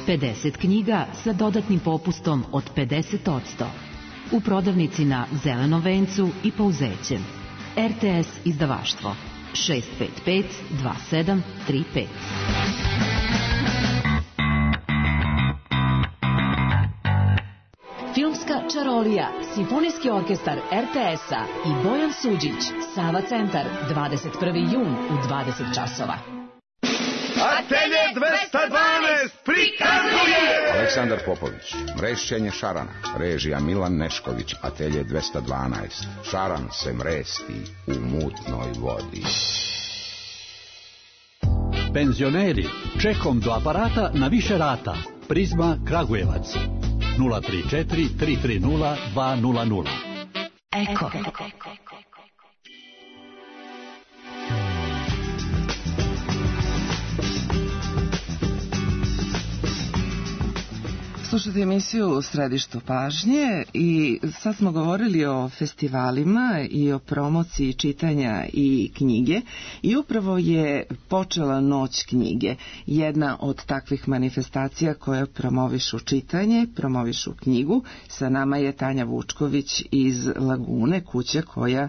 pedeset knjiga sa dodatnim popustom od pedeset posto. U prodavnici na Zelenom vencu i Pouzećem. R T S izdavaštvo šest pet pet dva sedam tri pet. Filmska čarolija, Simfonijski orkestar R T S-a i Bojan Suđić, Sava centar, dvadeset prvi jun u dvadeset časova. Atelje dvesta dvanaest prikazuje Aleksandar Popović, mrešćenje šarana, režija Milan Nešković, Atelje dvesta dvanaest. Šaran se mresti u mutnoj vodi. Penzioneri, čekom do aparata na više rata. Prizma Kragujevac. nula tri četiri tri tri nula dva nula nula. Eko. Slušate emisiju u Središtu pažnje i sad smo govorili o festivalima i o promociji čitanja i knjige i upravo je počela Noć knjige, jedna od takvih manifestacija koja promovišu čitanje, promovišu knjigu. Sa nama je Tanja Vučković iz Lagune, kuća koja e,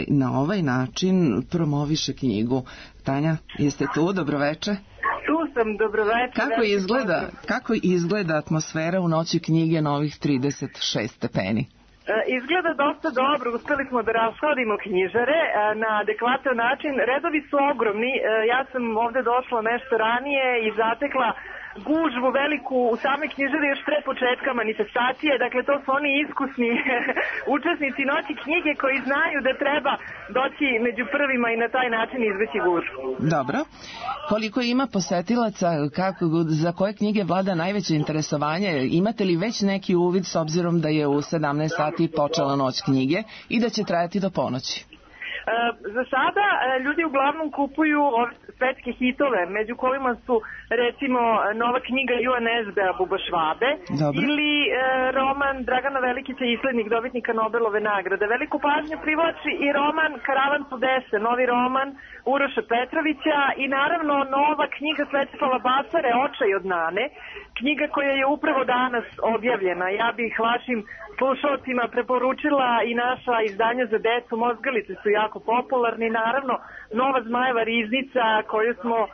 na ovaj način promoviše knjigu. Tanja, jeste tu? Dobroveče. Tu sam, dobroveče. Kako izgleda, kako izgleda atmosfera u Noći knjige na ovih trideset šest stepeni? Izgleda dosta dobro, uspeli smo da rashodimo knjižare na adekvatan način. Redovi su ogromni, ja sam ovde došla nešto ranije i zatekla gužvu veliku u same knjižare još pre početka manifestacije. Dakle, to su oni iskusni učesnici Noći knjige koji znaju da treba doći među prvima i na taj način izbeći gužvu. Dobro. Koliko ima posetilaca, kako, za koje knjige vlada najveće interesovanje? Imate li već neki uvid s obzirom da je u sedamnaest sati počela Noć knjige i da će trajati do ponoći? E, za sada e, ljudi uglavnom kupuju ove svetske hitove, među kojima su recimo nova knjiga Joan Esbea Buba Švabe. Dobre. Ili e, roman Dragana Velikića, Islednik dobitnika Nobelove nagrade. Veliku pažnju privlači i roman Karavan Sudese, novi roman Uroša Petrovića i naravno nova knjiga Svetoslava Bacare Očaj od Nane, knjiga koja je upravo danas objavljena. Ja bih vašim slušalcima preporučila i naša izdanja za decu, Mozgalice su jako popularni, naravno nova Zmajeva riznica koju smo uh,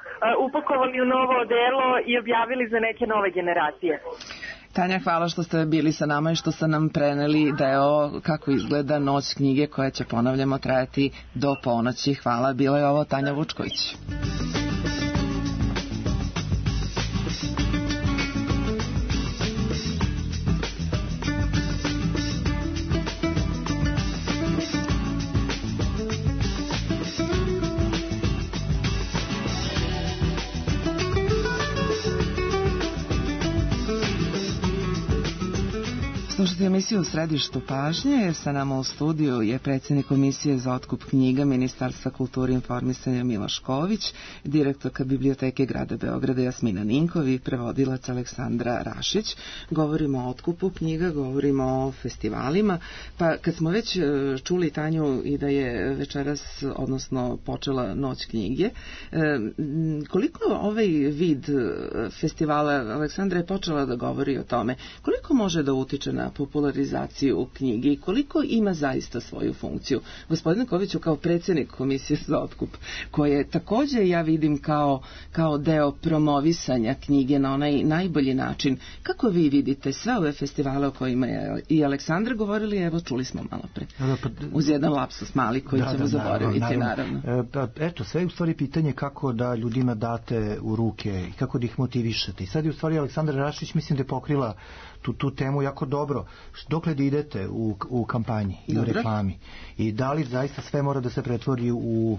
upakovali u novo odelo i objavili za neke nove generacije. Tanja, hvala što ste bili sa nama i što ste nam preneli da je ovo kako izgleda Noć knjige koja će, ponavljamo, trajati do ponoći. Hvala, bila je ovo Tanja Vučković. Slušajte emisiju U središtu pažnje. Sa nama u studiju je predsjednik Komisije za otkup knjiga Ministarstva kulture i informisanja Miloš Ković, direktorka Biblioteke grada Beograda Jasmina Ninkov i prevodilac Aleksandra Rašić. Govorimo o otkupu knjiga, govorimo o festivalima. Pa kad smo već čuli Tanju i da je večeras, odnosno počela Noć knjige, koliko ovaj vid festivala, Aleksandra je počela da govori o tome, koliko može da utiče na popularizaciju knjige i koliko ima zaista svoju funkciju? Gospodine Koviću, kao predsjednik Komisije za otkup, koje također ja vidim kao, kao deo promovisanja knjige na onaj najbolji način, kako vi vidite sve ove festivale o kojima je i Aleksandra govorili, evo čuli smo malo pre, uz jedan lapsus mali koji da, ćemo da, zaboraviti, naravno. naravno. naravno. E, eto, sve je u stvari pitanje kako da ljudima date u ruke i kako da ih motivišete. I sad je u stvari Aleksandra Rašić, mislim da je pokrila tu, tu temu jako dobro. Dokle da idete u, u kampanji i u reklami i da li zaista sve mora da se pretvori u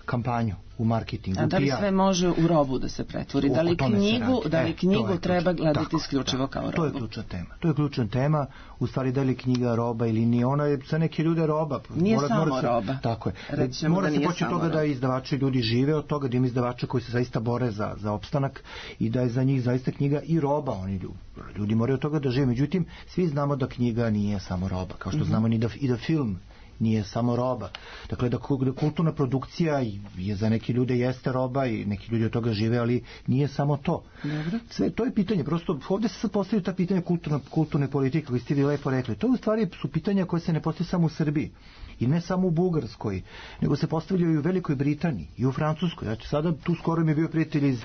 kampanju, u marketingu, a da li sve može u robu da se pretvori? Da li knjigu, da li knjigu e, treba gledati tako, isključivo tako, kao robu? To je ključna tema. To je ključna tema. U stvari, da li knjiga roba ili nije, ona je za neke ljude roba. Nije mora, samo mora se, roba. Tako je. Rećemo mora da se poći od toga roba. Da izdavači ljudi žive od toga, da ima izdavača koji se zaista bore za, za opstanak i da je za njih zaista knjiga i roba. Oni ljudi, ljudi moraju od toga da žive. Međutim, svi znamo da knjiga nije samo roba. Kao što mm-hmm. znamo i da, i da film nije samo roba. Dakle, da kulturna produkcija je za neke ljude jeste roba i neki ljudi od toga žive, ali nije samo to. Dobre. Sve to je pitanje. Prosto ovdje se sad postavljaju ta pitanja kulturne, kulturne politike, koji ste vi lepo rekli. To u stvari su pitanja koje se ne postavljaju samo u Srbiji i ne samo u Bugarskoj, nego se postavljaju i u Velikoj Britaniji i u Francuskoj. Znači, sada tu skoro mi je bio prijatelj iz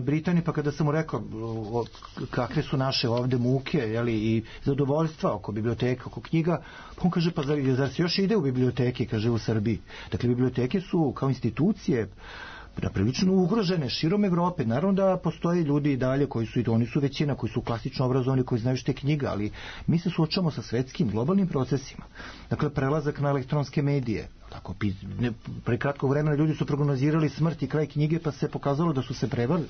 Britanije, pa kada sam mu rekao kakve su naše ovde muke, jeli, i zadovoljstva oko biblioteka, oko knjiga, pa on kaže, pa zar, zar se još ide u biblioteke, kaže, u Srbiji. Dakle, biblioteke su kao institucije prilično ugrožene širom Evrope. Naravno da postoje ljudi i dalje koji su, i oni su većina, koji su klasično obrazovani, koji znaju što je knjiga, ali mi se suočavamo sa svetskim, globalnim procesima. Dakle, prelazak na elektronske medije. Tako, pre kratkog vremena ljudi su prognozirali smrt i kraj knjige, pa se pokazalo da su se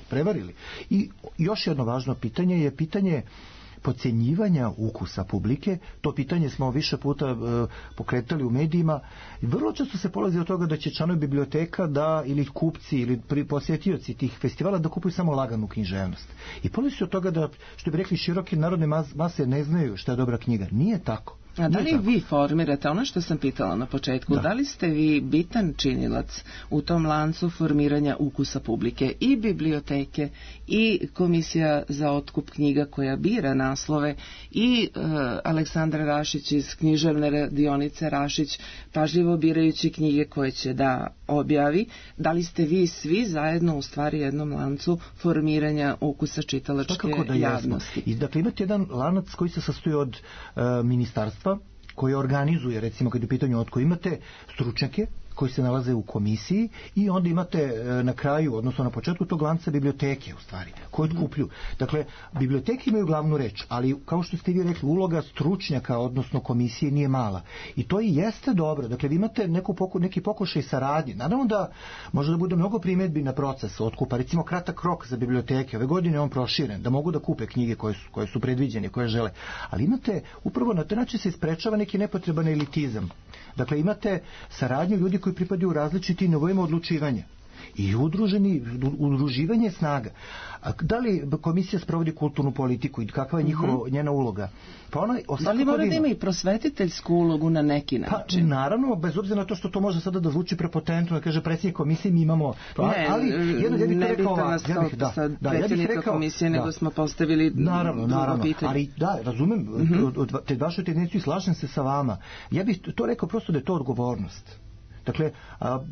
prevarili. I još jedno važno pitanje je pitanje podcenjivanja ukusa publike. To pitanje smo više puta e, pokretali u medijima. Vrlo često se polazi od toga da će članovi biblioteka da, ili kupci ili posjetioci tih festivala da kupuju samo laganu književnost. I polazi se od toga da, što bi rekli, široke narodne mase ne znaju šta je dobra knjiga. Nije tako. A da li vi formirate, ono što sam pitala na početku, da. da li ste vi bitan činilac u tom lancu formiranja ukusa publike i biblioteke i Komisija za otkup knjiga koja bira naslove i e, Aleksandra Rašić iz književne radionice Rašić, pažljivo birajući knjige koje će da objavi, da li ste vi svi zajedno u stvari jednom lancu formiranja ukusa čitalačke da javnosti? I, dakle, imate jedan lanac koji se sastoji od e, ministarstva koje organizuje, recimo kad je u pitanju otko, imate stručnjake koji se nalaze u komisiji i onda imate na kraju, odnosno na početku tog lanca biblioteke u stvari, koje otkupljuju. Dakle, biblioteke imaju glavnu reč, ali kao što ste vi rekli, uloga stručnjaka, odnosno komisije nije mala. I to i jeste dobro. Dakle, vi imate neku poku, neki pokušaj saradnje. Naravno da može da bude mnogo primjedbi na proces otkupa. Recimo, kratak rok za biblioteke. Ove godine je on proširen, da mogu da kupe knjige koje su, koje su predviđene, koje žele. Ali imate, upravo na taj način se isprečava neki nepotreban elitizam. Dakle, imate saradnju ljudi koji pripadaju različitim nivoima odlučivanja i udruženi, udruživanje snaga. A da li komisija sprovodi kulturnu politiku i kakva je njihova, mm-hmm. njena uloga? Pa ona, da li mora da ima i prosvetiteljsku ulogu na neki način? Pa, naravno, bez obzira na to što to može sada da zvuči prepotentno, da kaže predsjednik komisije, mi imamo... Ne, ali, jedno, ja bih ne rekao, nas ja bih, da, sad da, predsjednika ja rekao, komisije, nego da, smo postavili naravno, drugo naravno, pitanje. Ali da, razumem, mm-hmm. od, od, te vašu tendenciju i slažem se sa vama. Ja bih to rekao prosto da je to odgovornost. Dakle,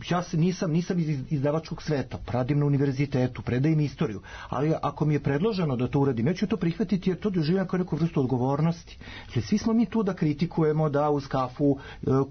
ja se nisam, nisam iz izdavačkog sveta, radim na univerzitetu, predajem istoriju, ali ako mi je predloženo da to uradim, ja ću to prihvatiti jer to doživljam kao neku vrstu odgovornosti. Dakle, svi smo mi tu da kritikujemo, da uz kafu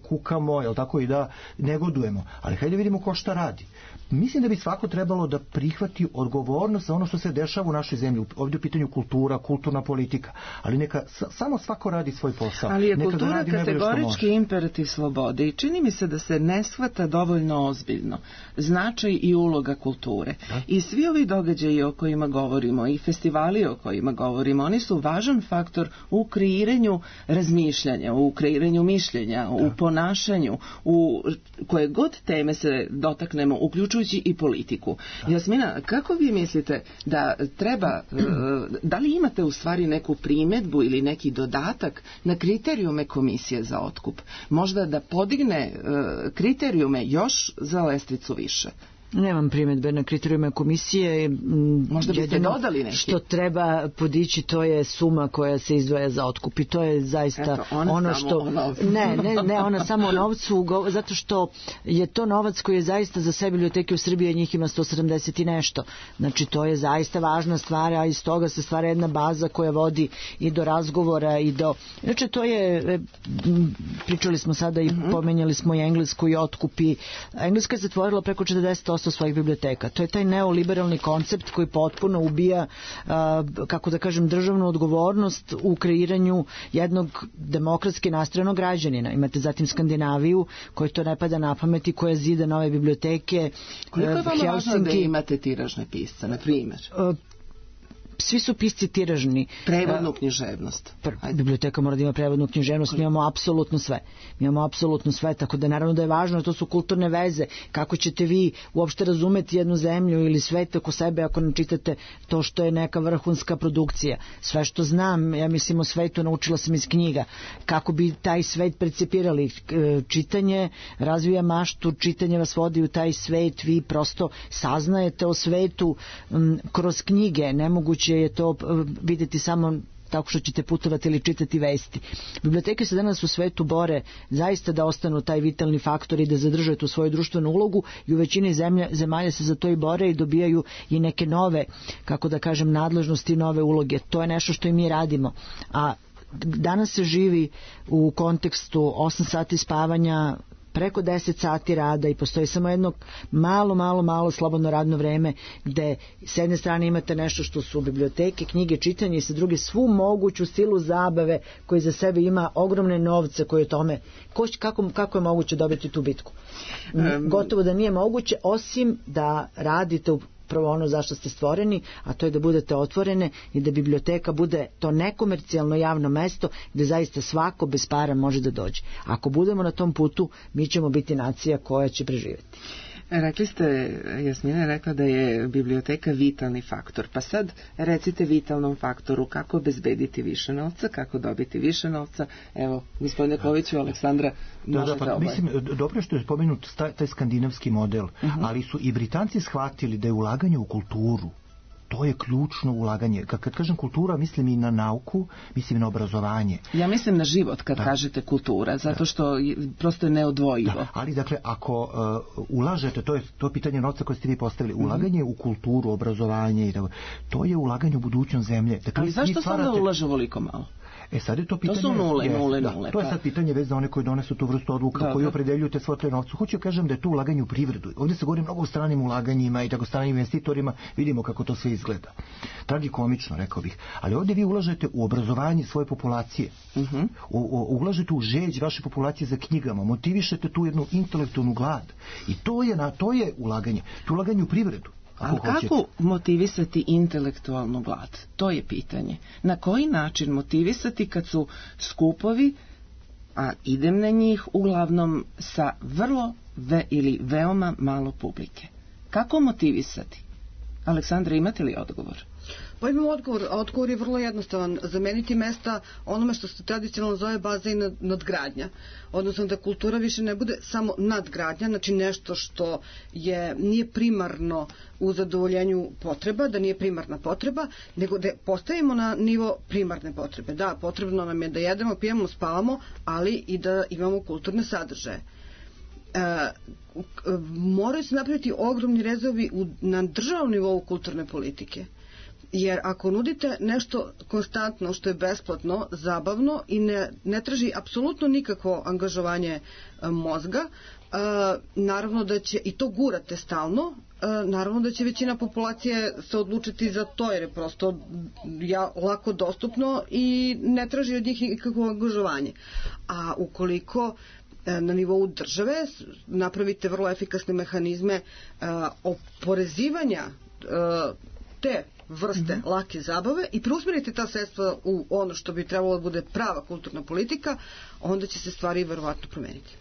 kukamo, jel tako, i da negodujemo, ali hajde vidimo ko šta radi. Mislim da bi svako trebalo da prihvati odgovornost za ono što se dešava u našoj zemlji. Ovdje je u pitanju kultura, kulturna politika, ali neka samo svako radi svoj posao. Ali je kultura kategorički imperativ slobode i čini mi se da se ne shvata dovoljno ozbiljno značaj i uloga kulture. Da? I svi ovi događaji o kojima govorimo i festivali o kojima govorimo, oni su važan faktor u kreiranju razmišljanja, u kreiranju mišljenja, da. U ponašanju, u koje god teme se dotaknemo, uključujući i politiku. Da. Jasmina, kako vi mislite da treba, da li imate u stvari neku primedbu ili neki dodatak na kriterijume komisije za otkup? Možda da podigne kriterijume još za lestvicu više? Nemam primjedbe na kriterijume komisije. Možda biste dodali neki. Što treba podići, to je suma koja se izdvaja za otkup i to je zaista Eto, ono što... Ne, ne, ne, ona samo o novcu, zato što je to novac koji je zaista za sve biblioteke u Srbiji, njih ima sto sedamdeset i nešto. Znači, to je zaista važna stvar, a iz toga se stvara jedna baza koja vodi i do razgovora i do... Znači, to je... Pričali smo sada i mm-hmm. pomenjali smo i Englesku i otkup i... Engleska je zatvorila preko četrdeset posto svojih biblioteka. To je taj neoliberalni koncept koji potpuno ubija, kako da kažem, državnu odgovornost u kreiranju jednog demokratski nastrojenog građanina. Imate zatim Skandinaviju, koji to ne pada na pamet i koja zida nove biblioteke. Koliko je vama važno da imate tiražne pisce, na primjer? Svi su pisci tiražni. Prevodnu književnost. Biblioteka mora da ima prevodnu književnost, mi imamo apsolutno sve. Mi imamo apsolutno sve, tako da naravno da je važno, to su kulturne veze. Kako ćete vi uopšte razumeti jednu zemlju ili svet oko sebe ako ne čitate to što je neka vrhunska produkcija. Sve što znam, ja mislim o svetu, naučila sam iz knjiga. Kako bi taj svet percipirali? Čitanje razvija maštu, čitanje vas vodi u taj svet, vi prosto saznajete o svetu m, kroz knjige, nemoguće je to vidjeti samo tako što ćete putovati ili čitati vesti. Biblioteke se danas u svetu bore zaista da ostanu taj vitalni faktor i da zadrže tu svoju društvenu ulogu i u većini zemlja, zemalja se za to i bore i dobijaju i neke nove, kako da kažem, nadležnosti, nove uloge. To je nešto što i mi radimo. A danas se živi u kontekstu osam sati spavanja, preko deset sati rada i postoji samo jedno malo, malo, malo slobodno radno vreme gde s jedne strane imate nešto što su biblioteke, knjige, čitanje i sa druge svu moguću silu zabave koji za sebe ima ogromne novce koji o tome, ko, kako, kako je moguće dobiti tu bitku? Um, Gotovo da nije moguće, osim da radite u prvo ono zašto ste stvoreni, a to je da budete otvorene i da biblioteka bude to nekomercijalno javno mesto gde zaista svako bez para može da dođe. Ako budemo na tom putu, mi ćemo biti nacija koja će preživjeti. Rekli ste, Jasmina je rekla da je biblioteka vitalni faktor. Pa sad recite vitalnom faktoru kako obezbediti više novca, kako dobiti više novca. Evo, gospodine Koviću, Aleksandra, možete da, da, pa, mislim, dobro što je spomenut taj, taj skandinavski model, uh-huh. ali su i Britanci shvatili da je ulaganje u kulturu, to je ključno ulaganje. Kad, kad kažem kultura, mislim i na nauku, mislim i na obrazovanje. Ja mislim na život kad da. kažete kultura, zato što je, prosto je neodvojivo. Da. Ali dakle, ako uh, ulažete, to je to pitanje novca koje ste vi postavili, ulaganje mm-hmm. u kulturu, obrazovanje, to je ulaganje u budućnost zemlje. Dakle, ali zašto stvarate... sam da ulaže voliko malo? E sad je to pitanje... To su nule, je, nule, da, nule. To je sad pitanje već za one koji donesu tu vrstu odluka, da, koji opredeljuju te svote novcu. Hoću kažem da je to ulaganje u privredu. Ovdje se govori mnogo o stranim ulaganjima i tako stranim investitorima. Vidimo kako to sve izgleda. Tragikomično, rekao bih. Ali ovdje vi ulažete u obrazovanje svoje populacije. Uh-huh. U, u, ulažete u žeđ vaše populacije za knjigama. Motivišete tu jednu intelektualnu glad. I to je, na, to je ulaganje. To je ulaganje u privredu. Ali kako motivisati intelektualnu glad? To je pitanje. Na koji način motivisati kad su skupovi, a idem na njih uglavnom sa vrlo ve ili veoma malo publike? Kako motivisati? Aleksandra, imate li odgovor? Pa imam odgovor, a odgovor je vrlo jednostavan. Zameniti mesta onome što se tradicionalno zove baza i nadgradnja. Odnosno da kultura više ne bude samo nadgradnja, znači nešto što je, nije primarno u zadovoljenju potreba, da nije primarna potreba, nego da postavimo na nivo primarne potrebe. Da, potrebno nam je da jedemo, pijemo, spavamo, ali i da imamo kulturne sadržaje. E, moraju se napraviti ogromni rezovi u, na državnom nivou kulturne politike. Jer ako nudite nešto konstantno što je besplatno, zabavno i ne, ne traži apsolutno nikakvo angažovanje e, mozga, e, naravno da će, i to gurate stalno, e, naravno da će većina populacije se odlučiti za to jer je prosto ja, lako dostupno i ne traži od njih nikakvo angažovanje. A ukoliko na nivou države napravite vrlo efikasne mehanizme uh, oporezivanja uh, te vrste mm-hmm. lake zabave i preusmerite ta sredstva u ono što bi trebalo da bude prava kulturna politika, onda će se stvari verovatno promeniti.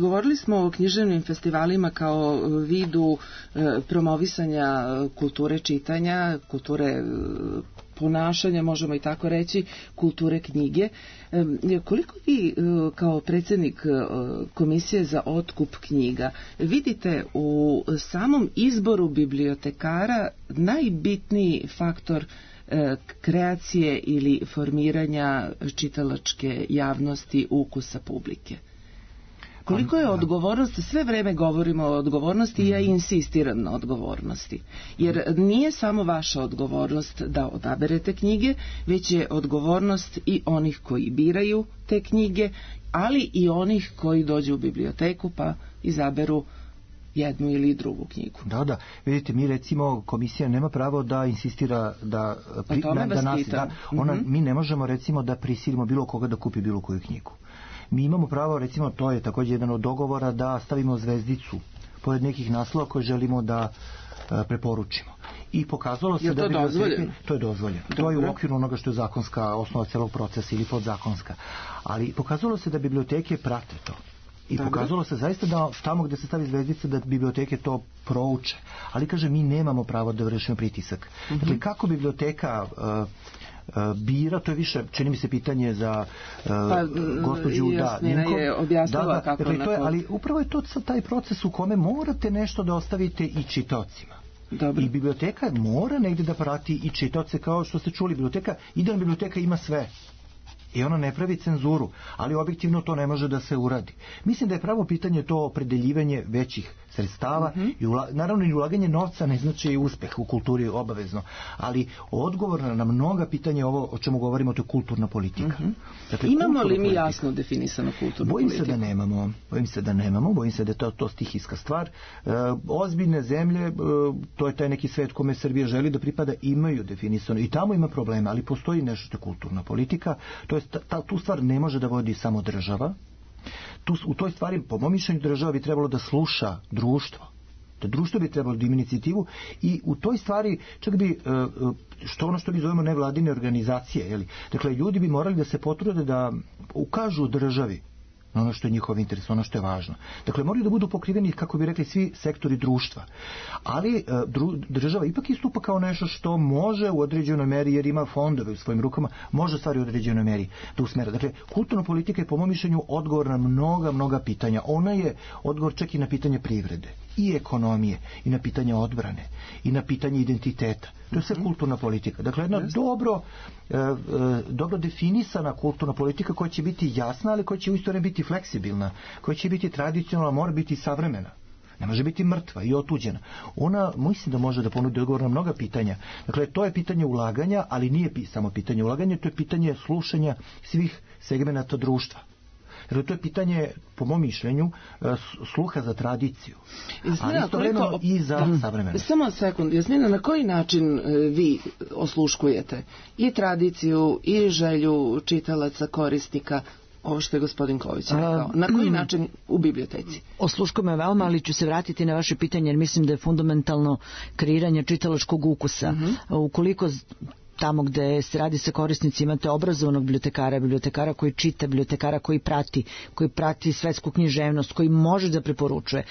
Govorili smo o književnim festivalima kao vidu promovisanja kulture čitanja, kulture ponašanja, možemo i tako reći, kulture knjige. Koliko vi kao predsjednik Komisije za otkup knjiga vidite u samom izboru bibliotekara najbitniji faktor kreacije ili formiranja čitalačke javnosti, ukusa publike? Koliko je odgovornost, sve vreme govorimo o odgovornosti i ja insistiram na odgovornosti. Jer nije samo vaša odgovornost da odaberete knjige, već je odgovornost i onih koji biraju te knjige, ali i onih koji dođu u biblioteku pa izaberu jednu ili drugu knjigu. Da, da. Vidite, mi recimo, komisija nema pravo da insistira da... Pri, da, da nas, da, ona, mm-hmm. Mi ne možemo recimo da prisilimo bilo koga da kupi bilo koju knjigu. Mi imamo pravo, recimo, to je također jedan od dogovora, da stavimo zvezdicu pored nekih naslova koje želimo da e, preporučimo. I pokazalo se je da... To, dozvoljeno? To je dozvoljeno. Dobro. To je u okviru onoga što je zakonska osnova celog procesa ili podzakonska. Ali pokazalo se da biblioteke prate to. I Dobro. Pokazalo se zaista da tamo gdje se stavi zvezdica da biblioteke to prouče. Ali, kaže, mi nemamo pravo da vršimo pritisak. Mm-hmm. Dakle, kako biblioteka... Uh, bira, to je više, čini mi se, pitanje za uh, pa, gospođu Jasmina da, je objasnila da, da, kako dakle, to je, ali upravo je to taj proces u kome morate nešto da ostavite i čitaocima. Dobro. I biblioteka mora negdje da prati i čitaoce, kao što ste čuli, biblioteka, idealna biblioteka ima sve. I ona ne pravi cenzuru, ali objektivno to ne može da se uradi. Mislim da je pravo pitanje to opredeljivanje većih sredstava, mm-hmm. i ula, naravno i ulaganje novca ne znači i uspeh u kulturi obavezno, ali odgovor na mnoga pitanja ovo o čemu govorimo, to je kulturna politika. Mm-hmm. Dakle, imamo li mi politika. Jasno definisano kulturnu bojim politiku? Se da nemamo, bojim se da nemamo, bojim se da je to, to stihijska stvar. E, ozbiljne zemlje, e, to je taj neki svet kome Srbija želi da pripada, imaju definisano i tamo ima problema, ali postoji nešto što je kulturna politika, to je ta, tu stvar ne može da vodi samo država. Tu, u toj stvari, po mom mišljenju, država bi trebalo da sluša društvo. Da društvo bi trebalo da ima inicijativu i u toj stvari čak bi, što ono što mi zovemo nevladine organizacije, jeli? Dakle, ljudi bi morali da se potrude da ukažu državi na ono što je njihov interes, ono što je važno. Dakle, moraju da budu pokriveni, kako bi rekli, svi sektori društva. Ali dru, država ipak istupa kao nešto što može u određenoj meri, jer ima fondove u svojim rukama, može stvari u određenoj meri da usmera. Dakle, kulturna politika je, po mom mišljenju, odgovor na mnoga, mnoga pitanja. Ona je odgovor čak i na pitanje privrede i ekonomije, i na pitanje odbrane, i na pitanje identiteta. To je sve kulturna politika. Dakle, jedna dobro, e, e, dobro definisana kulturna politika koja će biti jasna, ali koja će u isto vreme biti fleksibilna, koja će biti tradicionalna, mora biti savremena. ne može biti mrtva i otuđena. Ona mislim da može da ponudi odgovor na mnoga pitanja. Dakle, to je pitanje ulaganja, ali nije samo pitanje ulaganja, to je pitanje slušanja svih segmenata društva. Jer to je pitanje, po mom mišljenju, sluha za tradiciju, ali istovremeno koliko... i za da, savremeno. Samo sekund, Jasmina, na koji način vi osluškujete i tradiciju i želju čitalaca, korisnika, ovo što je gospodin Ković rekao? Na koji mm, način u biblioteci? Osluškujem je veoma, ali ću se vratiti na vaše pitanje, jer mislim da je fundamentalno kreiranje čitalačkog ukusa. Mm-hmm. Ukoliko tamo gde se radi sa korisnicima, imate obrazovanog bibliotekara, bibliotekara koji čita, bibliotekara koji prati, koji prati svetsku književnost, koji može da preporučuje.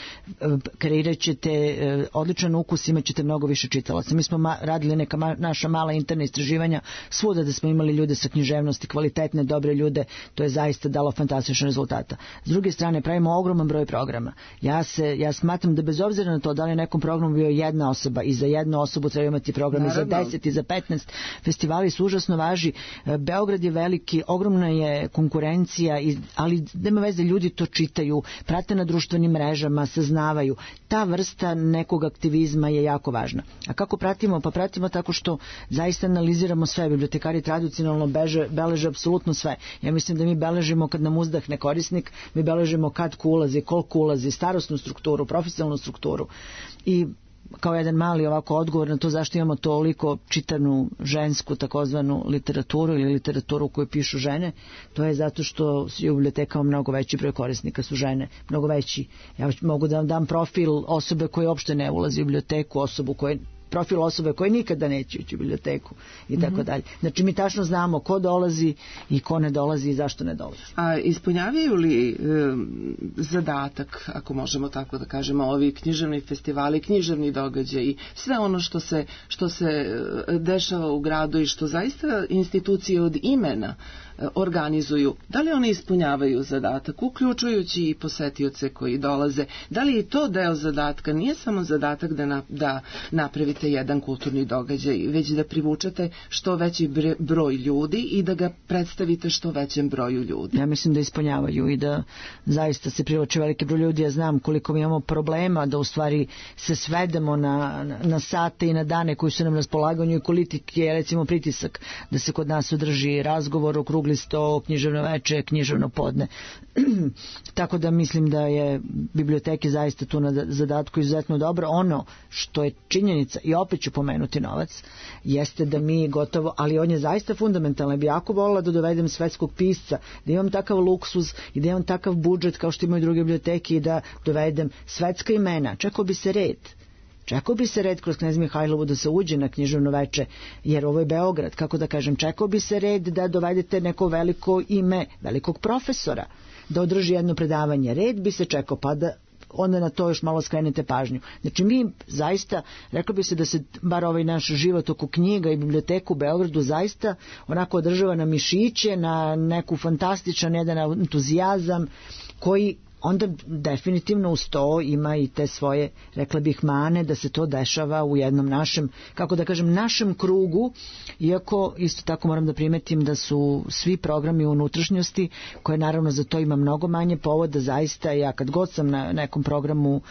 Kreirat ćete odličan ukus, imat ćete mnogo više čitalaca. Mi smo ma, radili neka ma, naša mala interna istraživanja svuda da smo imali ljude sa književnosti, kvalitetne, dobre ljude, to je zaista dalo fantastične rezultata. S druge strane, pravimo ogroman broj programa. Ja se, ja smatram da bez obzira na to da li je nekom programu bio jedna osoba i za jednu osobu treba imati program i za deset i za petnaest. Festivali su užasno važi. Beograd je veliki, ogromna je konkurencija, ali nema veze, ljudi to čitaju, prate na društvenim mrežama, saznavaju. Ta vrsta nekog aktivizma je jako važna. A kako pratimo? Pa pratimo tako što zaista analiziramo sve. Bibliotekari tradicionalno beže, beleže apsolutno sve. Ja mislim da mi beležimo kad nam uzdahne korisnik, mi beležimo kad ko ulazi, koliko ulazi, starosnu strukturu, profesionalnu strukturu. I kao jedan mali ovako odgovor na to zašto imamo toliko čitanu žensku takozvanu literaturu ili literaturu koju pišu žene, to je zato što je u bibliotekama mnogo veći broj korisnika su žene, mnogo veći. Ja mogu da vam dam profil osobe koje uopšte ne ulazi u biblioteku, osobu koje profil osobe koje nikada neće ući u biblioteku i tako mm-hmm. dalje. Znači mi tačno znamo ko dolazi i ko ne dolazi i zašto ne dolazi. A ispunjavaju li e, zadatak, ako možemo tako da kažemo, ovi književni festivali, književni događaji, sve ono što se, što se dešava u gradu i što zaista institucije od imena organizuju, da li oni ispunjavaju zadatak, uključujući i posetioce koji dolaze, da li je to deo zadatka, nije samo zadatak da, na, da napravite jedan kulturni događaj, već da privučete što veći broj ljudi i da ga predstavite što većem broju ljudi. Ja mislim da ispunjavaju i da zaista se privlači veliki broj ljudi. Ja znam koliko mi imamo problema da u stvari se svedemo na, na, na sate i na dane koji su nam na raspolaganju i koliki je recimo pritisak da se kod nas održi razgovor o krugli sto, književno veče, književno podne. Tako da mislim da je biblioteke zaista tu na zadatku izuzetno dobro. Ono što je činjenica, i opet ću pomenuti novac, jeste da mi gotovo, ali on je zaista fundamentalan. Bi jako volila da dovedem svetskog pisca, da imam takav luksuz i da imam takav budžet kao što imaju druge biblioteke i da dovedem svetska imena. Čekao bi se red. Čekao bi se red kroz Knez Mihajlovu da se uđe na književno veče, jer ovo je Beograd, kako da kažem, čekao bi se red da dovedete neko veliko ime, velikog profesora, da održi jedno predavanje. Red bi se čekao, pa da onda na to još malo skrenete pažnju. Znači mi zaista, rekao bi se da se bar ovaj naš život oko knjiga i biblioteku u Beogradu zaista onako održava na mišiće, na neku fantastičan jedan entuzijazam koji onda definitivno uz to ima i te svoje, rekla bih, mane da se to dešava u jednom našem, kako da kažem, našem krugu, iako isto tako moram da primetim da su svi programi u unutrašnjosti, koje naravno za to ima mnogo manje povoda, zaista ja kad god sam na nekom programu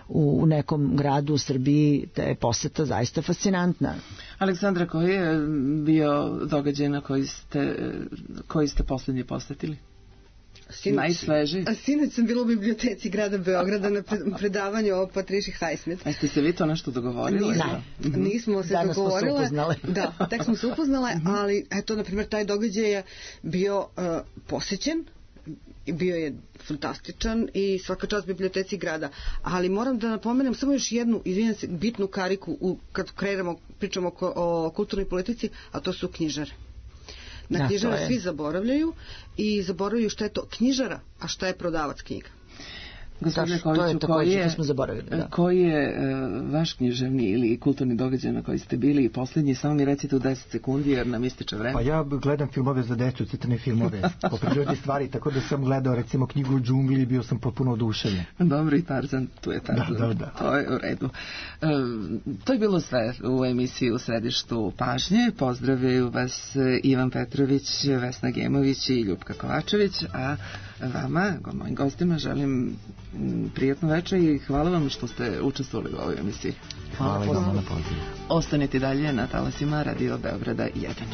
u, u nekom gradu u Srbiji, te je poseta zaista fascinantna. Aleksandra, koji je bio događaj na koji ste, koji ste poslednji posetili? Najsvežiji. A sinoć sam bila u biblioteci grada Beograda na predavanju o Patriši Highsmith. A ste se vi to nešto dogovorili? Ne, da. Nismo se Danas dogovorile. Smo se da, tek smo se upoznale, ali eto, na primjer, taj događaj je bio uh, posećen, bio je fantastičan i svaka čast biblioteci grada. Ali moram da napomenem samo još jednu, izvinjam se, bitnu kariku u, kad kreiramo, pričamo o, o kulturnoj politici, a to su knjižare. Na knjižara svi zaboravljaju i zaboravljaju šta je to knjižara, a šta je prodavac knjiga. Gospodine Koviću, koji je, da. koji je uh, vaš književni ili kulturni događaj na koji ste bili i posljednji, samo mi recite u deset sekundi jer nam ističe vreme. Pa ja gledam filmove za decu, crtane filmove po prirodi stvari, tako da sam gledao recimo knjigu u džungli i bio sam potpuno oduševljen. Dobro, i Tarzan, tu je Tarzan. Da, da, da. To je u redu. Uh, to je bilo sve u emisiji U središtu pažnje. Pozdravljaju vas Ivan Petrović, Vesna Gemović i Ljupka Kovačević, a Vama, mojim gostima, želim prijatno večer i hvala vam što ste učestvovali u ovoj emisiji. Hvala, hvala i vama na pozivu. Ostanite dalje na talasima Radio Beograda jedan.